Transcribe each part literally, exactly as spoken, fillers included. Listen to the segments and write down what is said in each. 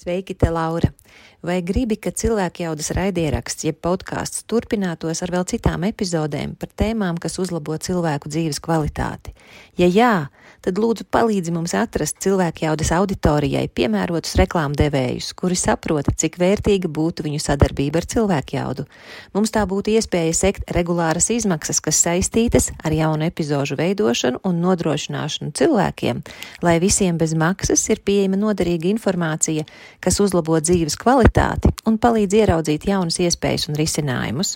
Sveiki, te Laura! Vai gribi, ka cilvēkjaudas raidieraksts, jeb podkāsts turpinātos ar vēl citām epizodēm par tēmām, kas uzlabo cilvēku dzīves kvalitāti? Ja jā, tad lūdzu palīdzi mums atrast cilvēkjaudas auditorijai piemērotus reklāmdevējus, kuri saprota, cik vērtīga būtu viņu sadarbība ar cilvēkjaudu. Mums tā būtu iespēja sekt regulāras izmaksas, kas saistītas ar jaunu epizožu veidošanu un nodrošināšanu cilvēkiem, lai visiem bez maksas ir pieejama noderīga informācija, kas uzlabo dzīves kvalitāti un palīdz ieraudzīt jaunas iespējas un risinājumus.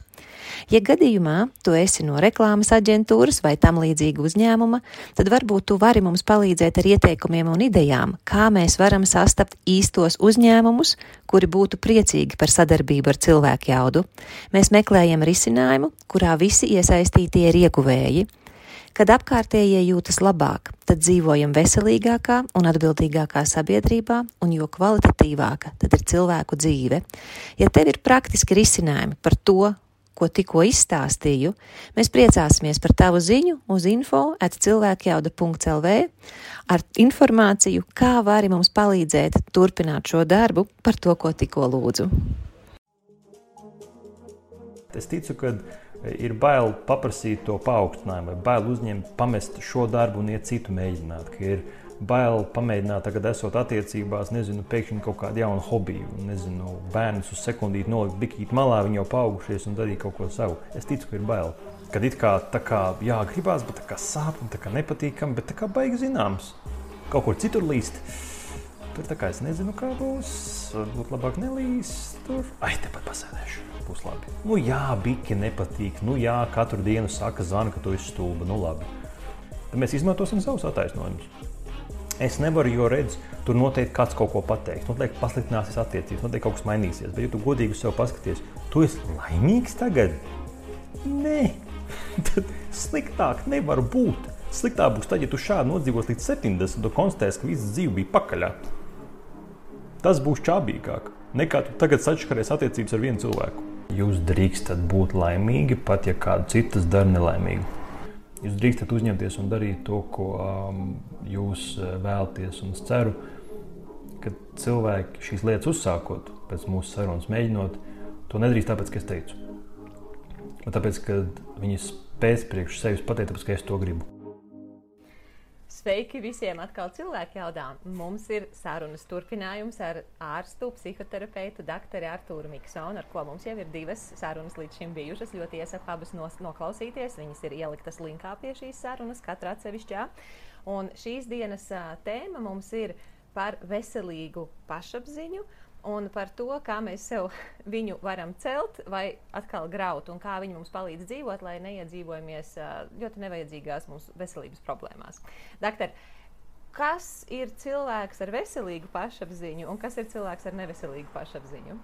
Ja gadījumā tu esi no reklāmas aģentūras vai tam līdzīga uzņēmuma, tad varbūt tu vari mums palīdzēt ar ieteikumiem un idejām, kā mēs varam sastapt īstos uzņēmumus, kuri būtu priecīgi par sadarbību ar cilvēkjaudu. Mēs meklējam risinājumu, kurā visi iesaistītie ir ieguvēji. Kad apkārtējie jūtas labāk, tad dzīvojam veselīgākā un atbildīgākā sabiedrībā, un jo kvalitatīvāka tad ir cilvēku dzīve. Ja tev ir praktiski risinājumi par to, ko tikko izstāstīju, mēs priecāsimies par tavu ziņu uz info at cilvēkjauda punkts l v ar informāciju, kā vari mums palīdzēt turpināt šo darbu par to, ko tikko lūdzu. Es ticu, ka ir bail paprasīt to paaugstinājumu, vai bail uzņemt, pamest šo darbu un iet citu mēģināt, ka ir bail pamēģināt tagad esot attiecībās, nezinu, pēkšņi kaut kādu jaunu hobiju, nezinu, bērnus uz sekundīti nolikt bikīt malā, viņi jau paaugušies un darīt kaut ko savu. Es ticu, ka ir bail. Kad it kā tā kā jā, gribās, bet tā kā sāp un tā kā nepatīkam, bet tā kā baigi zināms. Kaut kur citur līst. Tur tā kā es nezinu, kā būs, varbūt labāk nelīst tur. Ai, tepat pasēdēšu. Būs labi. Nu jā, biki nepatīk, nu jā, katru dienu saka zvana, ka tu esi stulba, nu labi. Tad mēs izmantosim savus attaisnojumus. Es nevaru, jo redz, tur noteikti kāds kaut ko pateiks, noteikti pasliktināsies attiecības, noteikti kaut kas mainīsies, bet ja tu godīgi uz sev paskaties, tu esi laimīgs tagad? Nē, tad sliktāk nevar būt. Sliktāk būs tad, ja tu šādi nodzīvos līdz septiņdesmit, tu konstatēsi, ka visas dzīve bija pakaļā. Tas būs čābīgāk, nekā tu tagad sačakarēs attiecības ar vienu cilvēku. Jūs drīkstat būt laimīgi, pat ja kādu citas dara nelaimīgu. Jūs drīkstat uzņemties un darīt to, ko um, jūs vēlaties, un es ceru, ka cilvēki šīs lietas uzsākot, pēc mūsu sarunas mēģinot, to nedrīkst tāpēc, ka es teicu. Bet tāpēc, ka viņi spēs priekš sevis pateikt, tāpēc, ka es to gribu. Sveiki visiem atkal cilvēkjaudā. Mums ir sarunas turpinājums ar ārstu, psihoterapeitu, doktori Artūru Miksonu, ar ko mums jau ir divas sarunas līdz šim bijušas. Ļoti iesaku abas noklausīties. Viņas ir ieliktas linkā pie šīs sarunas, katra atsevišķā. Un šīs dienas tēma mums ir par veselīgu pašapziņu un par to, kā mēs sev viņu varam celt vai atkal graut un kā viņi mums palīdz dzīvot, lai neiedzīvojamies ļoti nevajadzīgās mums veselības problēmās. Doktor, kas ir cilvēks ar veselīgu pašapziņu un kas ir cilvēks ar neveselīgu pašapziņu?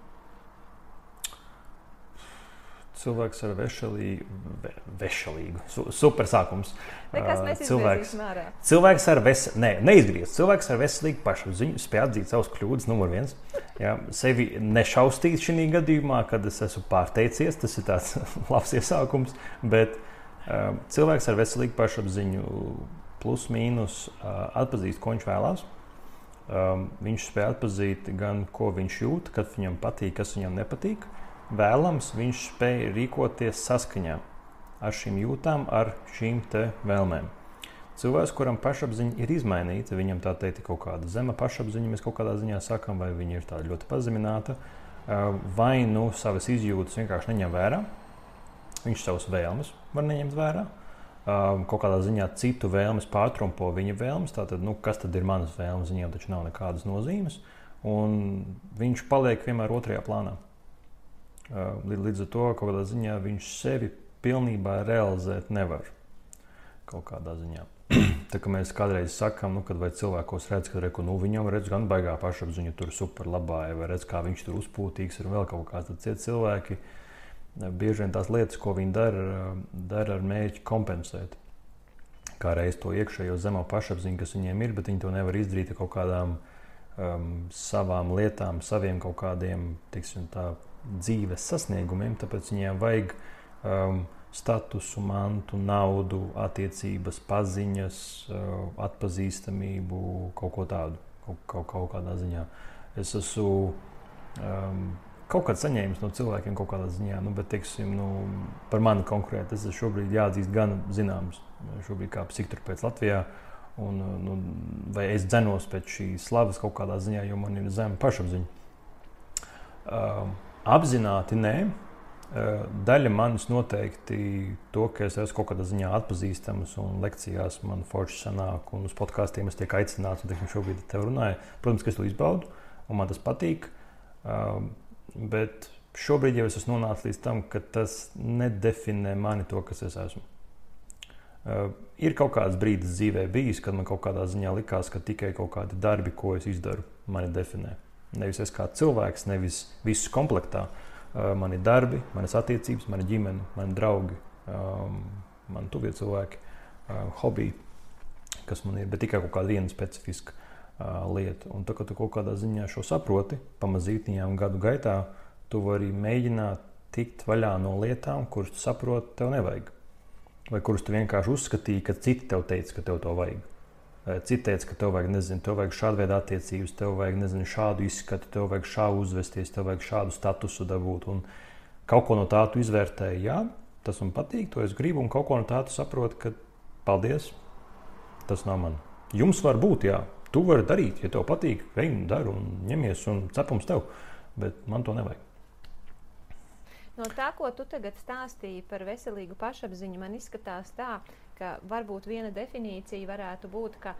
Cilvēks ar vešalīgu, ve, vešalīgu, su, super sākums. Nekas mēs izgriezīsim ārā. Cilvēks ar ves, ne, neizgriez. Cilvēks ar veselīgu pašapziņu spēj atzīt savus kļūdas, numur viens. Jā, sevi nešaustīt šī gadījumā, kad es esmu pārteicies, tas ir tāds labs iesākums, bet uh, cilvēks ar veselīgu pašapziņu plus mīnus uh, atpazīst, ko viņš vēlās. Um, viņš spēj atpazīt gan, ko viņš jūt, kad viņam patīk, kas viņam nepatīk. Vēlams, viņš spēj rīkoties saskaņā ar šīm jūtām, ar šīm te vēlmēm. Cilvēks, kuram pašapziņa ir izmainīta, viņam tā teikt ir kaut kāda zema pašapziņa, mēs kaut kādā ziņā sakam, vai viņa ir tāda ļoti pazemināta, vai nu savas izjūtas vienkārši neņem vērā, viņš savas vēlmes var neņemt vērā, kaut kādā ziņā citu vēlmes pārtrumpo viņa vēlmes, tātad, nu, kas tad ir manas vēlmes, viņam taču nav nekādas nozīmes, un viņš paliek vienmēr otrajā plānā. Līdz ar to, kaut kādā ziņā viņš sevi pilnībā realizēt nevar. Kaut kādā ziņā. Tā kā mēs kādreiz sakam, nu, kad vai cilvēkos redz, ka reku, nu, viņam redz gan baigā pašapziņu tur super labā, vai redz, kā viņš tur uzpūtīgs ir vēl kaut kāds, tad cieti cilvēki bieži vien tās lietas, ko viņi dara, dara ar mērķi kompensēt. Kā reiz to iekšējo zemo pašapziņu, kas viņiem ir, bet viņi to nevar izdarīt ar kaut kādām um, savām lietām, saviem kaut kādiem, tiksim tā, dzīves sasniegumiem, tāpēc viņiem vajag um, statusu, mantu, naudu, attiecības, paziņas, uh, atpazīstamību, kaut ko tādu, kaut, kaut, kaut kādā ziņā. es esmu um, kaut kādā saņēmis no cilvēkiem kaut kādā ziņā, nu, bet, teiksim, nu, par mani konkrēti, es šobrīd jāatzīst gan zināms, šobrīd kā psihoterapeits Latvijā, un, nu, vai es dzenos pēc šīs slavas kaut kādā ziņā, jo man ir zema pašapziņa. Um, apzināti nē. Daļa manis noteikti to, ka es esmu kaut kādā ziņā atpazīstams un lekcijās man forši sanāk un uz podkāstiem es tiek aicināts un teiksim, šobrīd ar tevi runāju. Protams, ka es to izbaudu un man tas patīk, bet šobrīd jau es esmu nonācis līdz tam, ka tas nedefinē mani to, kas es esmu. Ir kaut kāds brīdis dzīvē bijis, kad man kaut kādā ziņā likās, ka tikai kaut kādi darbi, ko es izdaru, mani definē. Nevis es kā cilvēks, nevis visus komplektā. Mani darbi, manas attiecības, mana ģimene, mani draugi, um, mani tuvie cilvēki, uh, hobiji, kas man ir, bet tikai kaut kāda viena specifiska uh, lieta. Un tā, ka tu kaut kādā ziņā šo saproti, pamazītiņām gadu gaitā, tu vari mēģināt tikt vaļā no lietām, kuras tu saproti, tev nevajag. Vai kuras tu vienkārši uzskatīji, ka citi tev teica, ka tev to vajag. Citi teica, ka tev vajag, nezinu, tev vajag šādu veidu attiecības, tev vajag, nezinu, šādu izskatu, tev vajag šādu uzvesties, tev vajag šādu statusu dabūt. Un kaut ko no tā tu izvērtēji, jā, tas man patīk, to es gribu, un kaut ko no tā tu saproti, ka paldies, tas nav man. Jums var būt, jā, tu vari darīt, ja tev patīk, ej un dari un ņemies un cepums tev, bet man to nevajag. No tā, ko tu tagad stāstīji par veselīgu pašapziņu, man izskatās tā, ka varbūt viena definīcija varētu būt, ka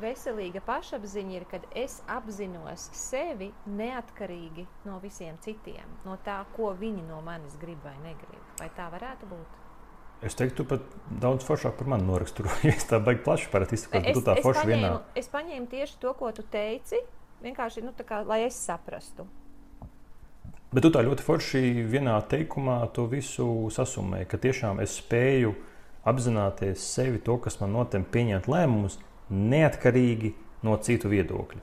veselīga pašapziņa ir, kad es apzinos sevi neatkarīgi no visiem citiem, no tā, ko viņi no manis grib vai negrib. Vai tā varētu būt? Es teiktu, tu pat daudz foršāk par mani noraksturojies, tā baigi plaši parāt izsakot, bet tu tā forši paņēmu, vienā. Es paņēmu tieši to, ko tu teici, vienkārši, nu, tā kā, lai es saprastu. Bet tu tā ļoti forši vienā teikumā to visu sasumēji, ka tiešām es spēju apzināties sevi to, kas man notem pieņemt lēmumus, neatkarīgi no citu viedokļa.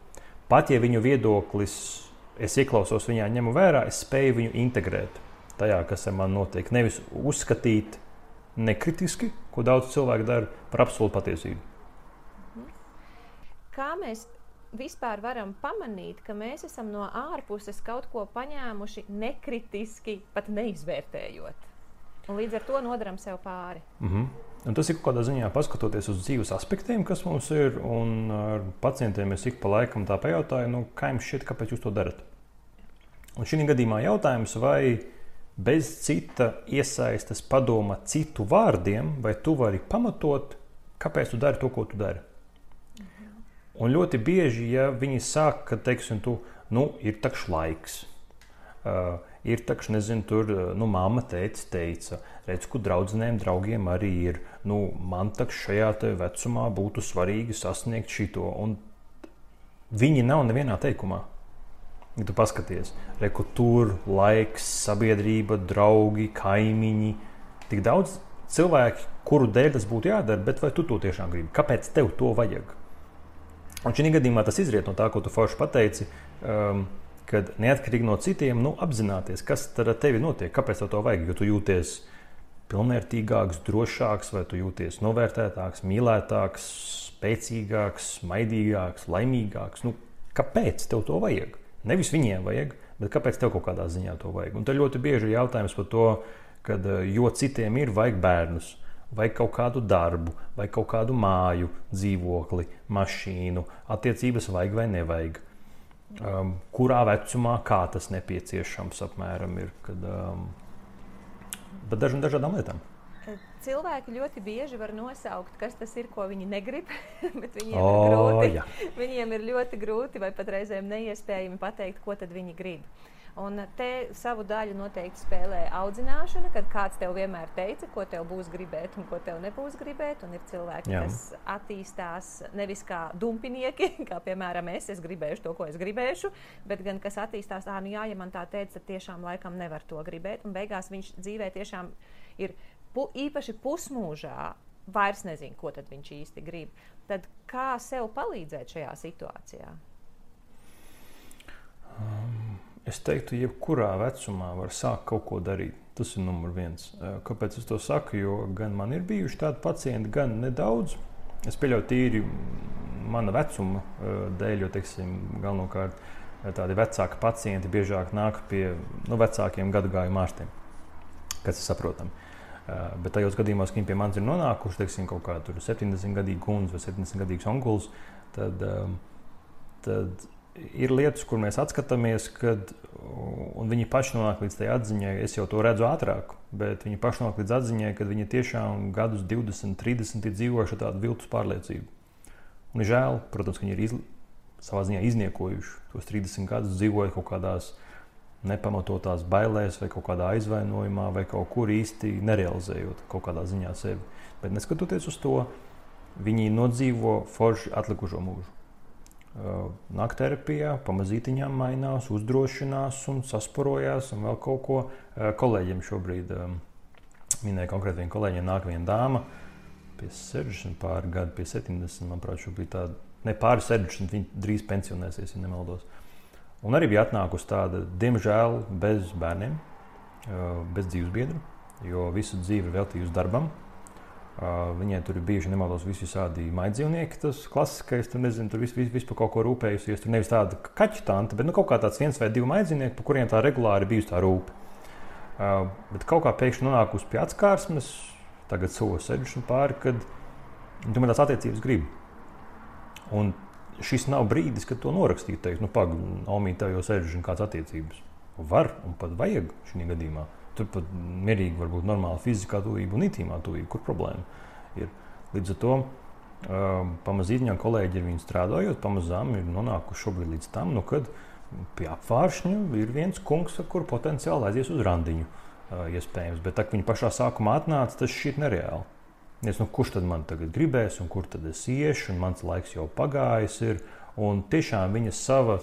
Pat ja viņu viedoklis, es ieklausos viņā, ņemu vērā, es spēju viņu integrēt tajā, kas ar man notiek. Nevis uzskatīt nekritiski, ko daudz cilvēku dara, par absolūtu patiesību. Kā mēs vispār varam pamanīt, ka mēs esam no ārpuses kaut ko paņēmuši nekritiski, pat neizvērtējot. Un līdz ar to nodaram sev pāri. Mm-hmm. Un tas ir kaut kādā ziņā paskatoties uz dzīves aspektiem, kas mums ir, un ar pacientiem es ik pa laikam tā pajautāju, nu, kā jums šķiet, kāpēc jūs to darat? Un šī gadījumā jautājums, vai bez cita iesaistes padoma citu vārdiem, vai tu vari pamatot, kāpēc tu dari to, ko tu dari? Un ļoti bieži, ja viņi sāk, ka, teiksim, tu, nu, ir takš laiks, uh, ir takš, nezinu, tur, nu, mamma teica, teica, redz, ku draudzenēm, draugiem arī ir, nu, man takš šajā te vecumā būtu svarīgi sasniegt šito, un viņi nav nevienā teikumā. Ja tu paskaties, reku tur, laiks, sabiedrība, draugi, kaimiņi, tik daudz cilvēki, kuru dēļ tas būtu jādara, bet vai tu to tiešām gribi? Kāpēc tev to vajag? Un šī gadījumā tas izriet no tā, ko tu forši pateici, um, kad neatkarīgi no citiem, nu, apzināties, kas tad ar tevi notiek, kāpēc tev to vajag, jo tu jūties pilnvērtīgāks, drošāks, vai tu jūties novērtētāks, mīlētāks, spēcīgāks, maidīgāks, laimīgāks. Nu, kāpēc tev to vajag? Nevis viņiem vajag, bet kāpēc tev kaut kādā ziņā to vajag? Un te ļoti bieži ir jautājums par to, kad jo citiem ir vajag bērnus, vai kaut kādu darbu, vai kaut kādu māju, dzīvokli, mašīnu, attiecības vajag vai nevajag. Um, kurā vecumā, kā tas nepieciešams apmēram ir, kad, um, bet dažām dažādām lietām. Cilvēki ļoti bieži var nosaukt, kas tas ir, ko viņi negrib, bet viņiem, o, ir grūti, jā. viņiem ir ļoti grūti vai pat reizēm neiespējami pateikt, ko tad viņi grib. Un te savu daļu noteikti spēlē audzināšana, kad kāds tev vienmēr teica, ko tev būs gribēt un ko tev nebūs gribēt. Un ir cilvēki, Jā. kas attīstās nevis kā dumpinieki, kā piemēram es, es gribēšu to, ko es gribēšu, bet gan kas attīstās, ā, nu jā, ja man tā teica, tad tiešām laikam nevar to gribēt. Un beigās viņš dzīvē tiešām ir pu, īpaši pusmūžā, vairs nezinu, ko tad viņš īsti grib. Tad kā sev palīdzēt šajā situācijā? Um. Es teiktu, jebkurā vecumā var sākt kaut ko darīt. Tas ir numur viens. Kāpēc es to saku? Jo gan man ir bijuši tādi pacienti, gan nedaudz. Es pieļauju tīri mana vecuma dēļ, jo, teiksim, galvenokārt tādi vecāki pacienti biežāk nāk pie nu, vecākiem gadu gājumu ārstiem, kas ir saprotami. Uh, bet tajos gadījumos, kad viņi pie manis ir nonākuši, teiksim, kaut kā tur septiņdesmitgadīga kundze vai septiņdesmitgadīgs onkulis, tad, um, tad ir lietas, kur mēs atskatāmies, kad, un viņi paši nonāk līdz tai atziņai, es jau to redzu ātrāk, bet viņi paši nonāk līdz atziņai, kad viņi tiešām gadus divdesmit, trīsdesmit ir dzīvojuši tādu viltus pārliecību. Un ir žēl, protams, ka viņi ir izli, savā ziņā izniekojuši tos trīsdesmit gadus, dzīvojot kaut kādās nepamatotās bailēs vai kaut kādā aizvainojumā vai kaut kur īsti nerealizējot kaut kādā ziņā sevi. Bet neskatoties uz to, viņi nodzīvo forši atlikušo mūžu. Nāk terapijā, pamazītiņām mainās, uzdrošinās un sasparojās un vēl kaut ko. Kolēģiem šobrīd, minēja konkrēti viena kolēģiem, nāk viena dāma pie sešdesmit pāri gadu, pie septiņdesmit, manuprāt, šobrīd tāda, ne pāri sešdesmit, viņa drīz pensionēsies, ja nemaldos. Un arī bija atnākusi tāda, diemžēl, bez bērniem, bez dzīvesbiedru, jo visu dzīvi veltījusi darbam. Uh, viņai tur ir bijuši, nemaldos, visi visādi maidzīvnieki, tas klasiskais, tur nezinu, tur viss vis, vis par kaut ko rūpējusies, tur nevis tāda kaķu tanta, bet nu, kaut kā tāds viens vai divi maidzīvnieki, par kuriem tā regulāri bijusi tā rūpe. Uh, bet kaut kā pēkšņi nonākusi pie atskārsmes, tagad sovu sešdesmit pāri, kad tomēr tās attiecības grib. Un šis nav brīdis, kad to norakstīt, teikt, nu pag, Omī, tev jau sešdesmit kāds attiecības. Var un pat vajag šī gadījumā. Tur pat mierīgi var būt normāla fiziskā tuvība un intīmā tuvība, kur problēma ir. Līdz ar to um, pamazītiņām kolēģi ar viņu strādājot, pamazām ir nonākuši šobrīd līdz tam, nu, kad pie apvāršņa ir viens kungs, ar kuru potenciāli aizies uz randiņu uh, iespējams. Bet tā, ka viņi pašā sākumā atnāca, tas šķiet nereāli. Es, nu, kurš tad man tagad gribēs un kur tad es iešu, un mans laiks jau pagājis ir. Un tiešām viņa sava,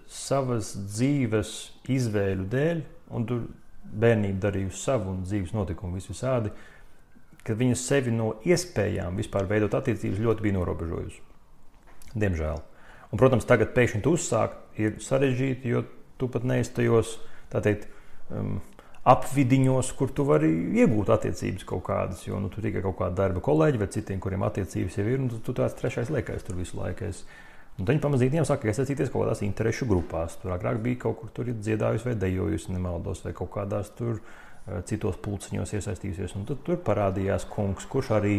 savas dzīves izvēļu dēļ, un tur bērnība darījusi savu un dzīves notikumu vis visādi, kad viņa sevi no iespējām vispār veidot attiecības ļoti bija norobežojusi. Diemžēl. Un, protams, tagad pēkšņi tu uzsākt ir sarežģīti, jo tu pat neesi tajos, tā teikt, um, apvidiņos, kur tu vari iegūt attiecības kaut kādas, jo nu, tu tikai kaut kāda darba kolēģi vai citiem, kuriem attiecības jau ir, un tu, tu tāds trešais liekais tur visu laiku esi. Un tad viņi pamazītiem saka, iesaistīties kaut kādās interešu grupās. Tur agrāk bija kaut kur tur dziedājusi vai dejojusi, nemaldos, vai kaut kādās tur uh, citos pulciņos iesaistījusies. Un tad tur parādījās kungs, kurš arī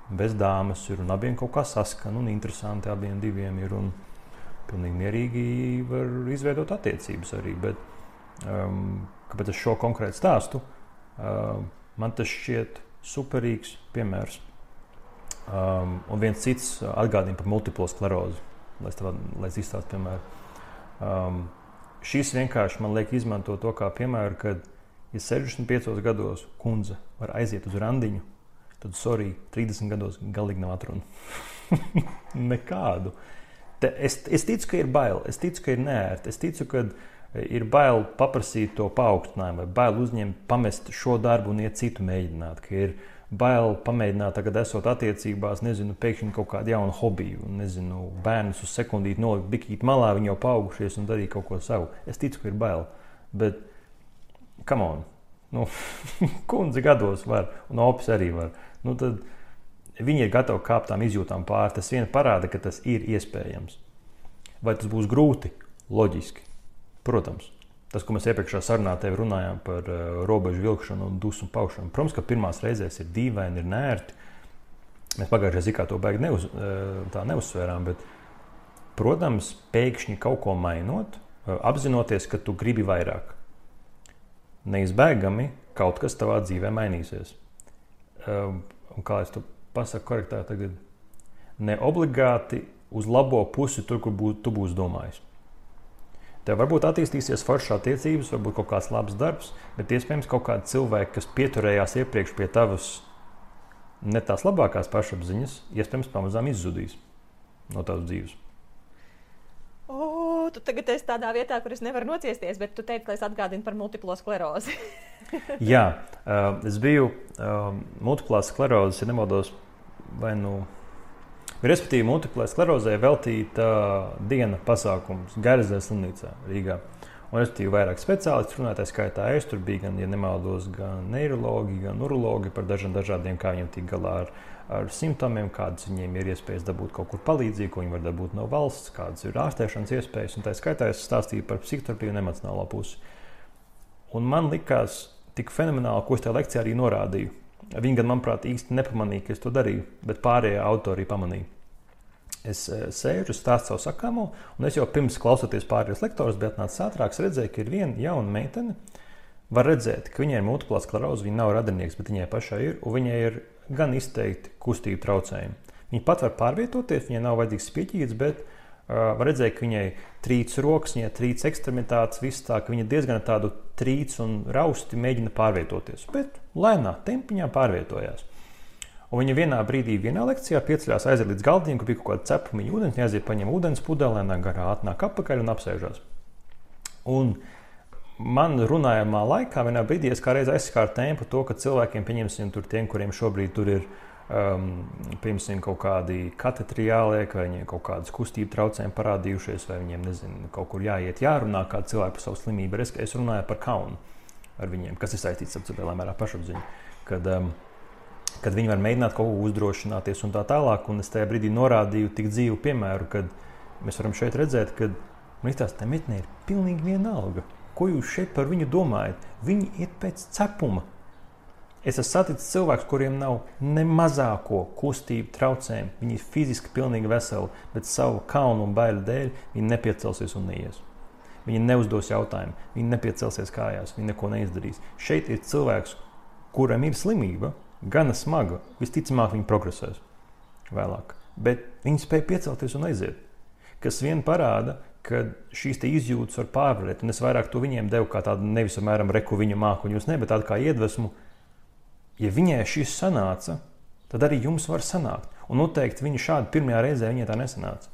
bez dāmas ir un abiem kaut kā saskan un interesanti abiem diviem ir un pilnīgi mierīgi var izveidot attiecības arī. Bet, um, kāpēc es šo konkrētu stāstu, uh, man tas šķiet superīgs piemērs. Um, un viens cits atgādina par multiplo sklerozi, lai es izstāstu piemēru. Um, šis vienkārši man liek izmantot to kā piemēru, kad, ja sešdesmit piecos gados kundze var aiziet uz randiņu, tad, sorry, trīsdesmit gados galīgi nav atrunu. Nekādu. Te, es, es ticu, ka ir bail, es ticu, ka ir neērti, es ticu, ka ir bail paprasīt to paaugstinājumu, vai bail uzņemt, pamest šo darbu un iet citu mēģināt, ka ir bail pamēģināt, tagad esot attiecībās, nezinu, pēkšņi kaut kādu jaunu hobiju, nezinu, bērnus uz sekundīti nolikt bikīt malā, viņi jau paaugušies un darīt kaut ko savu. Es ticu, ka ir bail, bet, come on, nu, kundze gados var, un opis arī var. Nu, tad viņi ir gatavi kāpt tām izjūtām pāri, tas vien parāda, ka tas ir iespējams. Vai tas būs grūti? Loģiski. Protams. Tas, ko mēs iepriekšā sarunā tevi runājām par uh, robežu vilkšanu un dusmu paušanu. Protams, ka pirmās reizēs ir dīvaini, ir nērti. Mēs pagājušajā zikā to baigi neuz, uh, tā neuzsvērām, bet, protams, pēkšņi kaut ko mainot, uh, apzinoties, ka tu gribi vairāk. Neizbēgami kaut kas tavā dzīvē mainīsies. Uh, un kā es to pasaku korektā tagad, ne obligāti uz labo pusi tur, kur bū, tu būsi domājis. Tev varbūt attīstīsies foršas attiecības, varbūt kaut kāds labs darbs, bet iespējams kaut kādi cilvēki, kas pieturējās iepriekš pie tavas ne tās labākās pašapziņas, iespējams pamazām izzudīs no tavas dzīves. O, tu tagad esi tādā vietā, kur es nevaru nociesties, bet tu teici, ka es atgādinu par multiplo sklerozi. Jā, uh, es biju uh, multiplās sklerozes, ja nemaldos, vai nu... Respektīvi, multiplai sklerozē veltīta uh, diena pasākums Garizē slimnīcā Rīgā. Un es biju vairāk speciālisti runātāji skaitā. Es tur biju gan, ja nemaldos, gan neirologi, gan urologi par dažiem dažādiem, kā viņiem tik galā ar, ar simptomiem, kādas viņiem ir iespējas dabūt kaut kur palīdzību, ko viņi var dabūt no valsts, kādas ir ārstēšanas iespējas. Un tā skaitā es stāstīju par psihoterapiju un emocionālo pusi. Un man likās tik fenomenāli, ko es tajā lekcijā arī norādīju. Viņi gan, manuprāt, īsti nepamanīja, ka es to darīju, bet pārējie autori pamanīja. Es sēžu, stāstu savu sakāmo, un es jau pirms klausoties pārējos lektorus, bet atnācis ātrāk, redzēju, ka ir viena jauna meitene. Var redzēt, ka viņai ir multiplā skleroze, viņa nav radinieks, bet viņai pašai ir, un viņai ir gan izteikti kustību traucējumi. Viņa pat var pārvietoties, viņai nav vajadzīgs spieķīts, bet uh, var redzēt, ka viņai trīc rokas, viņai trīc ekstremitātes, viss tā, ka viņa diezgan tādu trīc un rausti mēģina pārvietoties, bet lēnā tempiņā pārvietojās. Un viņa vienā brīdī, vienā lekcijā pieceļās, aiziet līdz galdiņam, kur bija kaut kāda cepumiņa ūdens, viņa aiziet paņem ūdens pudelēnā garā, atnāk apakaļ un apsēžās. Un man runājamā laikā vienā brīdī es kā reiz aizskāru tēmu par to, ka cilvēkiem, pieņemsim tur tiem, kuriem šobrīd tur ir, um, pieņemsim, kaut kādi katetri jāliek, vai viņiem kaut kādas kustību traucējumi parādījušies, vai viņiem, nezinu, kaut kur jāiet, jārunā kādu cilvēku par savu slimību. Es, es runāju par kaunu ar viņiem, kas ir saistīts ar lielā mērā pašapziņu. Kad, um, kad viņi var mēģināt kaut ko uzdrošināties un tā tālāk, un es tajā brīdī norādīju tik dzīvu piemēru, kad mēs varam šeit redzēt, ka man izstās, tā metnē ir pilnīgi vienalga. Ko jūs šeit par viņu domājat? Viņi ir pēc cepuma. Es esmu saticis cilvēkus, kuriem nav ne mazāko kustību traucējumu. Viņi ir fiziski pilnīgi veseli, bet savu kaunu un baiļu dēļ viņi nepiecelsies un neies. Viņi neuzdos jautājumu, viņi nepiecelsies kājās, viņi neko neizdarīs. Šeit ir cilvēks, kuram ir slimība, gana smaga, visticamāk viņi progresēs vēlāk, bet viņi spēja piecelties un aiziet, kas vien parāda, ka šīs te izjūtas var pārvarēt, un es vairāk to viņiem devu kā tādu nevis apmēram reku viņu māku un jūs ne, bet tādu kā iedvesmu. Ja viņai šis sanāca, tad arī jums var sanākt, un noteikti viņa šādi pirmajā reizē viņai tā nesanāca.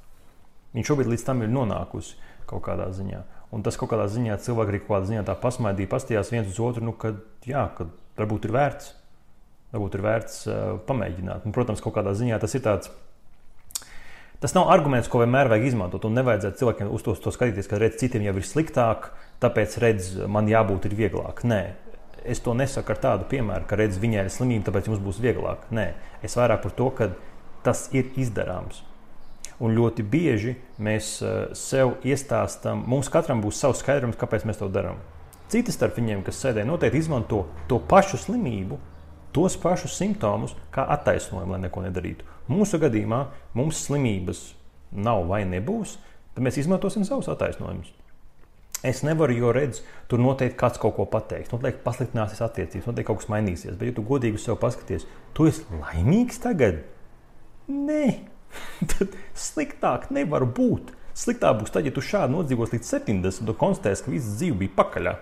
Viņa šobrīd līdz tam ir nonākusi kaut kādā ziņā, un tas kaut kādā ziņā cilvēki arī kaut kādā ziņā tā pasmaidīja, pastījās viens uz otru, nu, kad, jā, kad varbūt ir vērts. Varbūt ir vērts uh, pamēģināt. Un, protams, kaut kādā ziņā tas ir tāds. Tas nav arguments, ko vienmēr vajag izmantot. Un nevajadzētu cilvēkiem uz to, to skatīties, ka redz, citiem jau ir sliktāk, tāpēc redz, man jābūt ir vieglāk. Nē, es to nesaku ar tādu piemēru, ka redz, viņai ir slimība, tāpēc jums būs vieglāk. Nē, es vairāk par to, ka tas ir izdarāms. Un ļoti bieži mēs uh, sev iestāstam, mums katram būs savs skaidrums, kāpēc mēs to darām. Citi starp viņiem, kas sēdē, noteikti izmanto to pašu slimību, tos pašus simptomus kā attaisnojumu, lai neko nedarītu. Mūsu gadījumā mums slimības nav vai nebūs, tad mēs izmantosim savus attaisnojumus. Es nevaru, jo redzu, tur noteikti kāds kaut ko pateiks, noteikti pasliktināsies attiecības, noteikti kaut kas mainīsies, bet ja tu godīgi uz sev paskaties, tu esi laimīgs tagad? Nē, tad sliktāk nevar būt. Sliktāk būs tad, ja tu šādi nodzīvos līdz septiņdesmit, tu konstatēsi, ka visa dzīve bija pakaļā.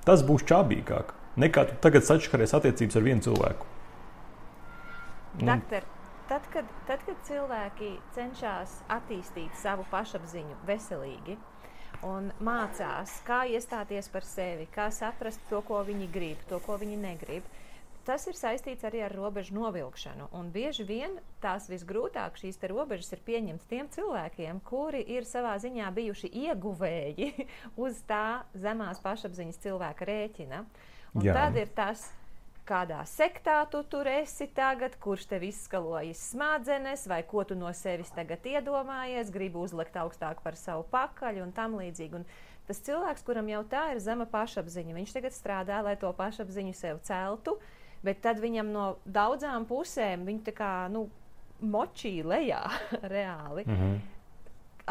Tas būs čābīgāk. Nekā tu tagad sačkaries attiecības ar vienu cilvēku. Doktor, tad kad, tad, kad cilvēki cenšas attīstīt savu pašapziņu veselīgi un mācās, kā iestāties par sevi, kā saprast to, ko viņi grib, to, ko viņi negrib, tas ir saistīts arī ar robežu novilkšanu. Un bieži vien tās visgrūtāk šīs te robežas ir pieņemts tiem cilvēkiem, kuri ir savā ziņā bijuši ieguvēji uz tā zemās pašapziņas cilvēka rēķina. Un Jā. Tad ir tas, kādā sektā tu tur esi tagad, kurš tev izskalojas smadzenes, vai ko tu no sevis tagad iedomājies, gribi uzlikt augstāk par savu pakaļu un tam līdzīgi. Un tas cilvēks, kuram jau tā ir zema pašapziņa, viņš tagad strādā, lai to pašapziņu sev celtu, bet tad viņam no daudzām pusēm viņu tā kā, nu, močī lejā reāli. Mhm.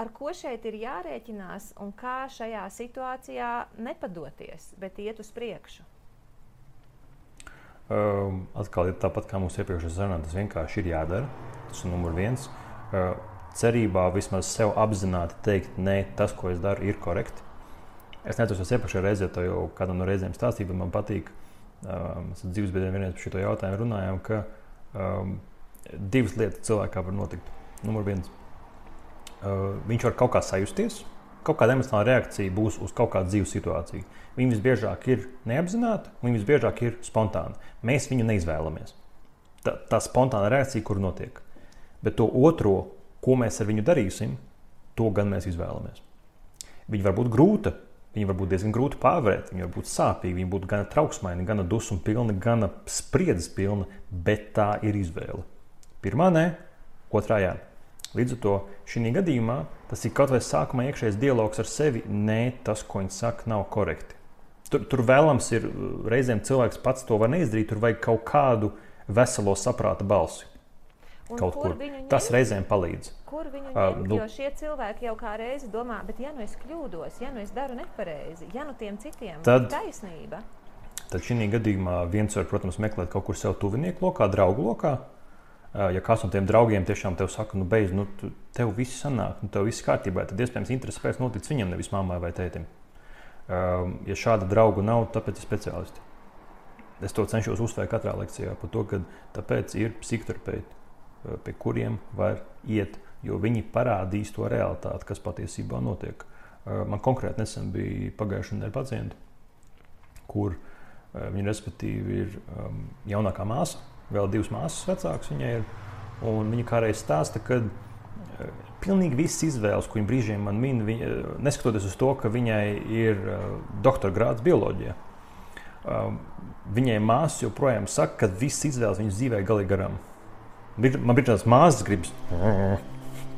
Ar ko šeit ir jārēķinās un kā šajā situācijā nepadoties, bet iet uz priekšu? Uh, atkal ir tāpat kā mūsu iepriekšējā sarunā, tas vienkārši ir jādara. Tas ir numur viens. Uh, cerībā vismaz sev apzināti teikt, nē, tas, ko es daru, ir korekti. Es neatceros iepriekšējā reizē, to jau kādam no reizēm stāstīju, bet man patīk, um, mēs ar dzīves biedriem vienreiz par šo jautājumu runājām, ka um, divas lietas cilvēkā var notikt. Numur viens, uh, viņš var kaut kā sajusties, kaut kāda emocionāla reakcija būs uz kaut kādu dzīves situāciju. Viņi visbiežāk ir neapzināti, viņi visbiežāk ir spontāni. Mēs viņu neizvēlamies. Tā, tā spontāna reakcija, kur notiek. Bet to otro, ko mēs ar viņu darīsim, to gan mēs izvēlamies. Viņa var būt grūta, viņa var būt diezgan grūta pārvarēt, viņa var būt sāpīga, viņa būtu gana trauksmaina, gana dusmu pilna, gana spriedzes pilna, bet tā ir izvēle. Pirmā nē, otrā jā. Līdz ar to šī gadījumā tas ir kaut vai sākumā iekšējais dialogs ar sevi, nē, tas, ko viņi saka, nav korekti. Tur, tur vēlams ir, reizēm cilvēks pats to var neizdarīt, tur vajag kaut kādu veselo saprāta balsi. Un kaut kur kur. Tas reizēm palīdz. Kur viņu ņemt, uh, nu, jo šie cilvēki jau kā reizi domā, bet ja nu es kļūdos, ja nu es daru nepareizi, ja nu tiem citiem tad, ir taisnība. Tad šī gadījumā viens var, protams, meklēt kaut kur sev tuvinieku lokā, draugu lokā. Uh, ja kāds no tiem draugiem tiešām tev saka, nu beidz, nu tu, tev viss sanāk, nu tev viss kārtībā, tad iespējams interesi pēc noticis viņam, nevis mammai vai tētim. Uh, ja šāda drauga nav, tāpēc ir speciālisti. Es to cenšos uzsvērt katrā lekcijā par to, ka tāpēc ir psihoterapeiti, pie kuriem var iet, jo viņi parādīs to realitāti, kas patiesībā notiek. Man konkrēti nesen bija pagājušā nedēļa pacienti, kur viņa respektīvi ir jaunākā māsa, vēl divas māsas vecākas viņai ir, un viņa kādreiz stāsta, ka pilnīgi visas izvēles, ko viņa brīžiem man min, viņa, neskatoties uz to, ka viņai ir doktora grāds bioloģijā, viņai māsas joprojām saka, ka visas izvēles viņas dzīvē galīgi garām. Man bija tās māsas gribas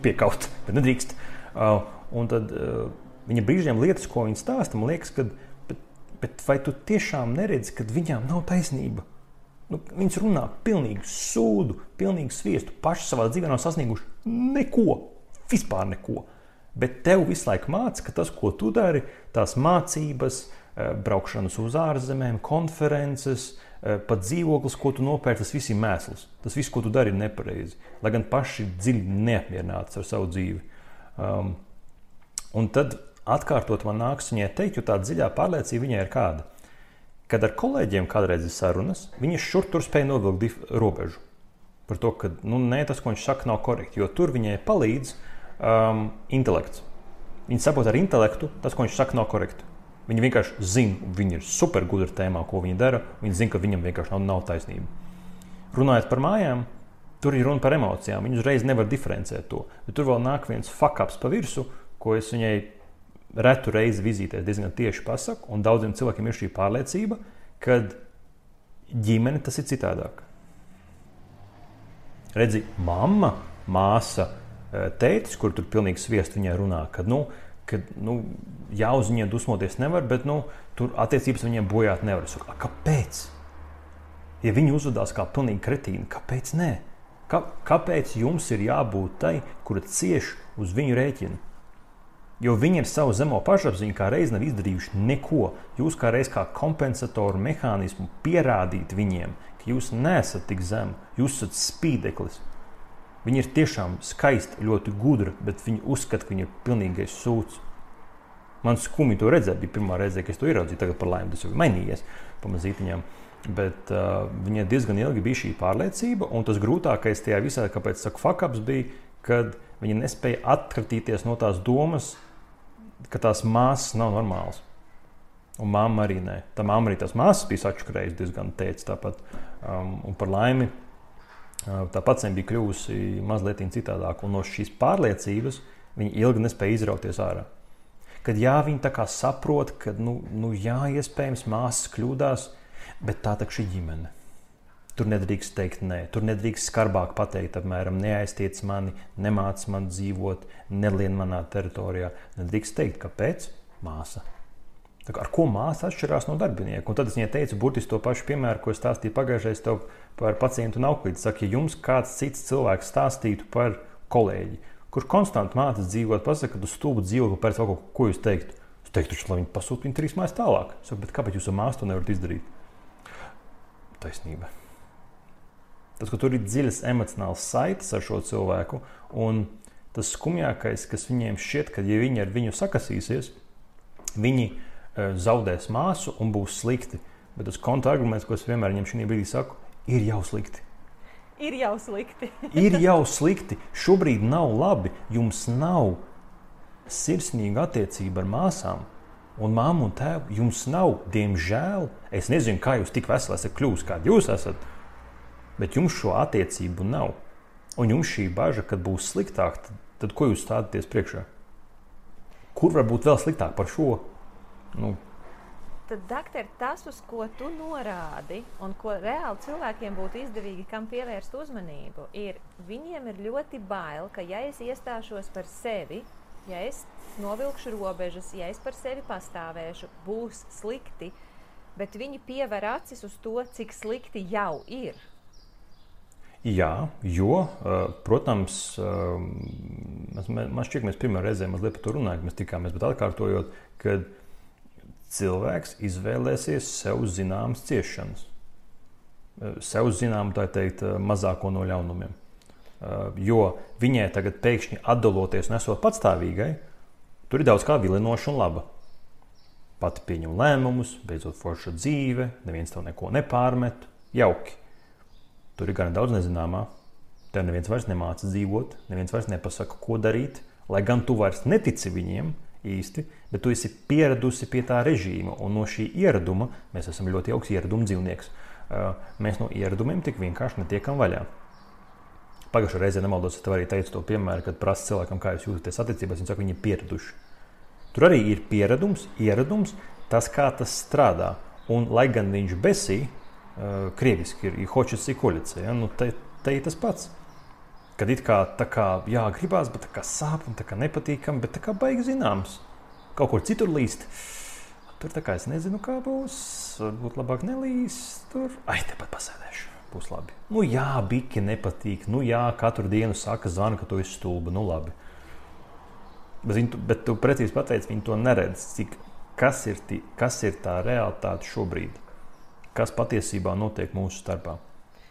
piekaut, bet nedrīkst. Uh, un tad uh, viņa brīžiem lietas, ko viņa stāsta, man liekas, ka bet, bet vai tu tiešām neredzi, ka viņām nav taisnība? Nu, viņas runā pilnīgi sūdu, pilnīgi sviestu, paši savā dzīvē nav sasnieguši neko, vispār neko. Bet tev visu laiku māca, ka tas, ko tu dari, tās mācības, uh, braukšanas uz ārzemēm, konferences, pat dzīvoklis, ko tu nopērci, tas viss ir mēsls. Tas viss, ko tu dari, ir nepareizi. Lai gan paši dziļi neapmierināti ar savu dzīvi. Um, un tad atkārtot man nāks viņai teikt, jo tā dziļā pārliecība viņai ir kāda. Kad ar kolēģiem kādreiz ir sarunas, viņi šur tur spēja novilkt robežu. Par to, ka nu, nē, tas, ko viņš saka, nav korekti. Jo tur viņai palīdz um, intelekts. Viņi saprot ar intelektu, tas, ko viņš saka, nav korekti. Viņi vienkārši zina, viņi ir supergudri tēmā, ko viņi dara. Viņi zina, ka viņam vienkārši nav, nav taisnība. Runājot par mājām, tur ir runa par emocijām. Viņi uzreiz nevar diferencēt to. Bet tur vēl nāk viens fuck-ups pa virsu, ko es viņai retu reizi vizītēs diezgan tieši pasaku. Un daudziem cilvēkiem ir šī pārliecība, ka ģimene tas ir citādāk. Redzi, mamma, māsa, tētis, kur tur pilnīgi sviest viņai runā, kad, nu, ka nu, jā, uz viņiem dusmoties nevar, bet nu, tur attiecības viņiem bojāt nevar. Es saku, kāpēc? Ja viņi uzvedās kā pilnīgi kretīni, kāpēc nē? Kā, kāpēc jums ir jābūt tai, kura cieš uz viņu rēķinu? Jo viņi ar savu zemo pašapziņu kā reiz nav izdarījuši neko. Jūs kā reiz kā kompensatoru mehānismu pierādīt viņiem, ka jūs neesat tik zem, jūs esat spīdeklis. Viņi ir tiešām skaisti, ļoti gudri, bet viņi uzskata, ka viņi ir pilnīgais sūds. Man skumji to redzēt, bija pirmā reize, kad es to ieraudzīju, tagad par laimi tas jau ir mainījies pamazītiņām. Bet uh, viņai diezgan ilgi bija šī pārliecība, un tas grūtākais tajā visā, kāpēc saku fuck-ups, bija, kad viņa nespēja atkratīties no tās domas, ka tās māsas nav normālas. Un mamma arī nē. Tā mamma arī tās māsas bija sačukrējusi diezgan teica tāpat. Um, un par laimi tā pacienta bija kļuvusi mazliet citādāk, un no šīs pārliecības viņa ilgi nespēja izrauties ārā. Kad jā, viņa tā kā saprot, ka, nu, nu jā, iespējams, māsas kļūdās, bet tā tak šī ģimene. Tur nedrīkst teikt nē, tur nedrīkst skarbāk pateikt, apmēram, neaiztiec mani, nemāc man dzīvot, nelien manā teritorijā. Nedrīkst teikt, kāpēc? Māsa. Tā kā, ar ko māsa atšķirās no darbinieku? Un tad es viņai teicu burtiski to pašu piemēru, ko es stāstīju pagājušais tev par pacientu un auklīti. Saka, ja jums kāds cits cilvēks stāstītu par kolēģi, kurš konstanti mācas dzīvot, pasaka, ka tu stulbu dzīvokli pēc kaut ko, ko jūs teiktu? Es teiktu, lai viņi pasūta viņu trīs mājas tālāk. Es saku, bet kāpēc jūs ar māsu to nevarat izdarīt? Taisnība. Tas, ka tur ir dziļas emocionāls saites ar šo cilvēku, un tas skumjākais, kas viņiem šķiet, ka ja viņi ar viņu sakasīsies, viņi zaudēs māsu un būs slikti. Bet tas kontraarguments, ko es vienmēr viņam šī brīdī saku, ir jau slikti. Ir jau slikti. ir jau slikti. Šobrīd nav labi. Jums nav sirsnīga attiecība ar māsām un māmu un tēvu. Jums nav, diemžēl, es nezinu, kā jūs tik veseli esat kļūst, kādi jūs esat, bet jums šo attiecību nav. Un jums šī baža, kad būs sliktāk, tad, tad ko jūs stādaties priekšā? kur var būt vēl sliktāk par šo? Nu, Tad, doktor, tas, uz ko tu norādi un ko reāli cilvēkiem būtu izdevīgi, kam pievērst uzmanību, ir, viņiem ir ļoti bail, ka ja es iestāšos par sevi, ja es novilkšu robežas, ja es par sevi pastāvēšu, būs slikti, bet viņi piever acis uz to, cik slikti jau ir. Jā, jo, protams, man šķiet, ka mēs pirmā reizē mazliet par to runājam, mēs tikāmies, bet atkārtojot, ka cilvēks izvēlēsies sev zināmas ciešanas. Sev zinām, tā teikt, mazāko no ļaunumiem. Jo viņai tagad pēkšņi atdaloties un esot patstāvīgai, tur ir daudz kā vilinoša un laba. Pati pieņem lēmumus, beidzot forša dzīve, neviens tev neko nepārmet, jauki. Tur ir gan daudz nezināmā. Tev neviens vairs nemāca dzīvot, neviens vairs nepasaka, ko darīt, lai gan tu vairs netici viņiem īsti, bet tu esi pieradusi pie tā režīma, un no šī ieraduma, mēs esam ļoti jauks ieraduma dzīvnieks, mēs no ieradumiem tik vienkārši netiekam vaļā. Pagājušajā reizē nemaldos, es tev arī teicu to piemēru, kad prasa cilvēkam, kā jūs jūtaties attiecībās, viņi saka, viņi ir pieraduši. Tur arī ir pieradums, ieradums, tas, kā tas strādā, un lai gan viņš besī, krieviski ir hočas i koļice, ja? Nu, te, te ir tas pats. Kad it kā tā kā, jā, gribās, bet tā kā sāp un tā kā nepatīkam, bet tā kā baigi zināms. Kaut kur citur līst. Tur tā kā es nezinu, kā būs. Varbūt labāk nelīst tur. Ai, tepat pasēdēšu. Būs labi. Nu jā, biki nepatīk. Nu jā, katru dienu saka, zvana, ka tu esi stulba. Nu labi. Bet, viņi, bet tu precīzi pateici, viņi to neredz. Cik, kas, ir tī, kas ir tā realitāte šobrīd? Kas patiesībā notiek mūsu starpā?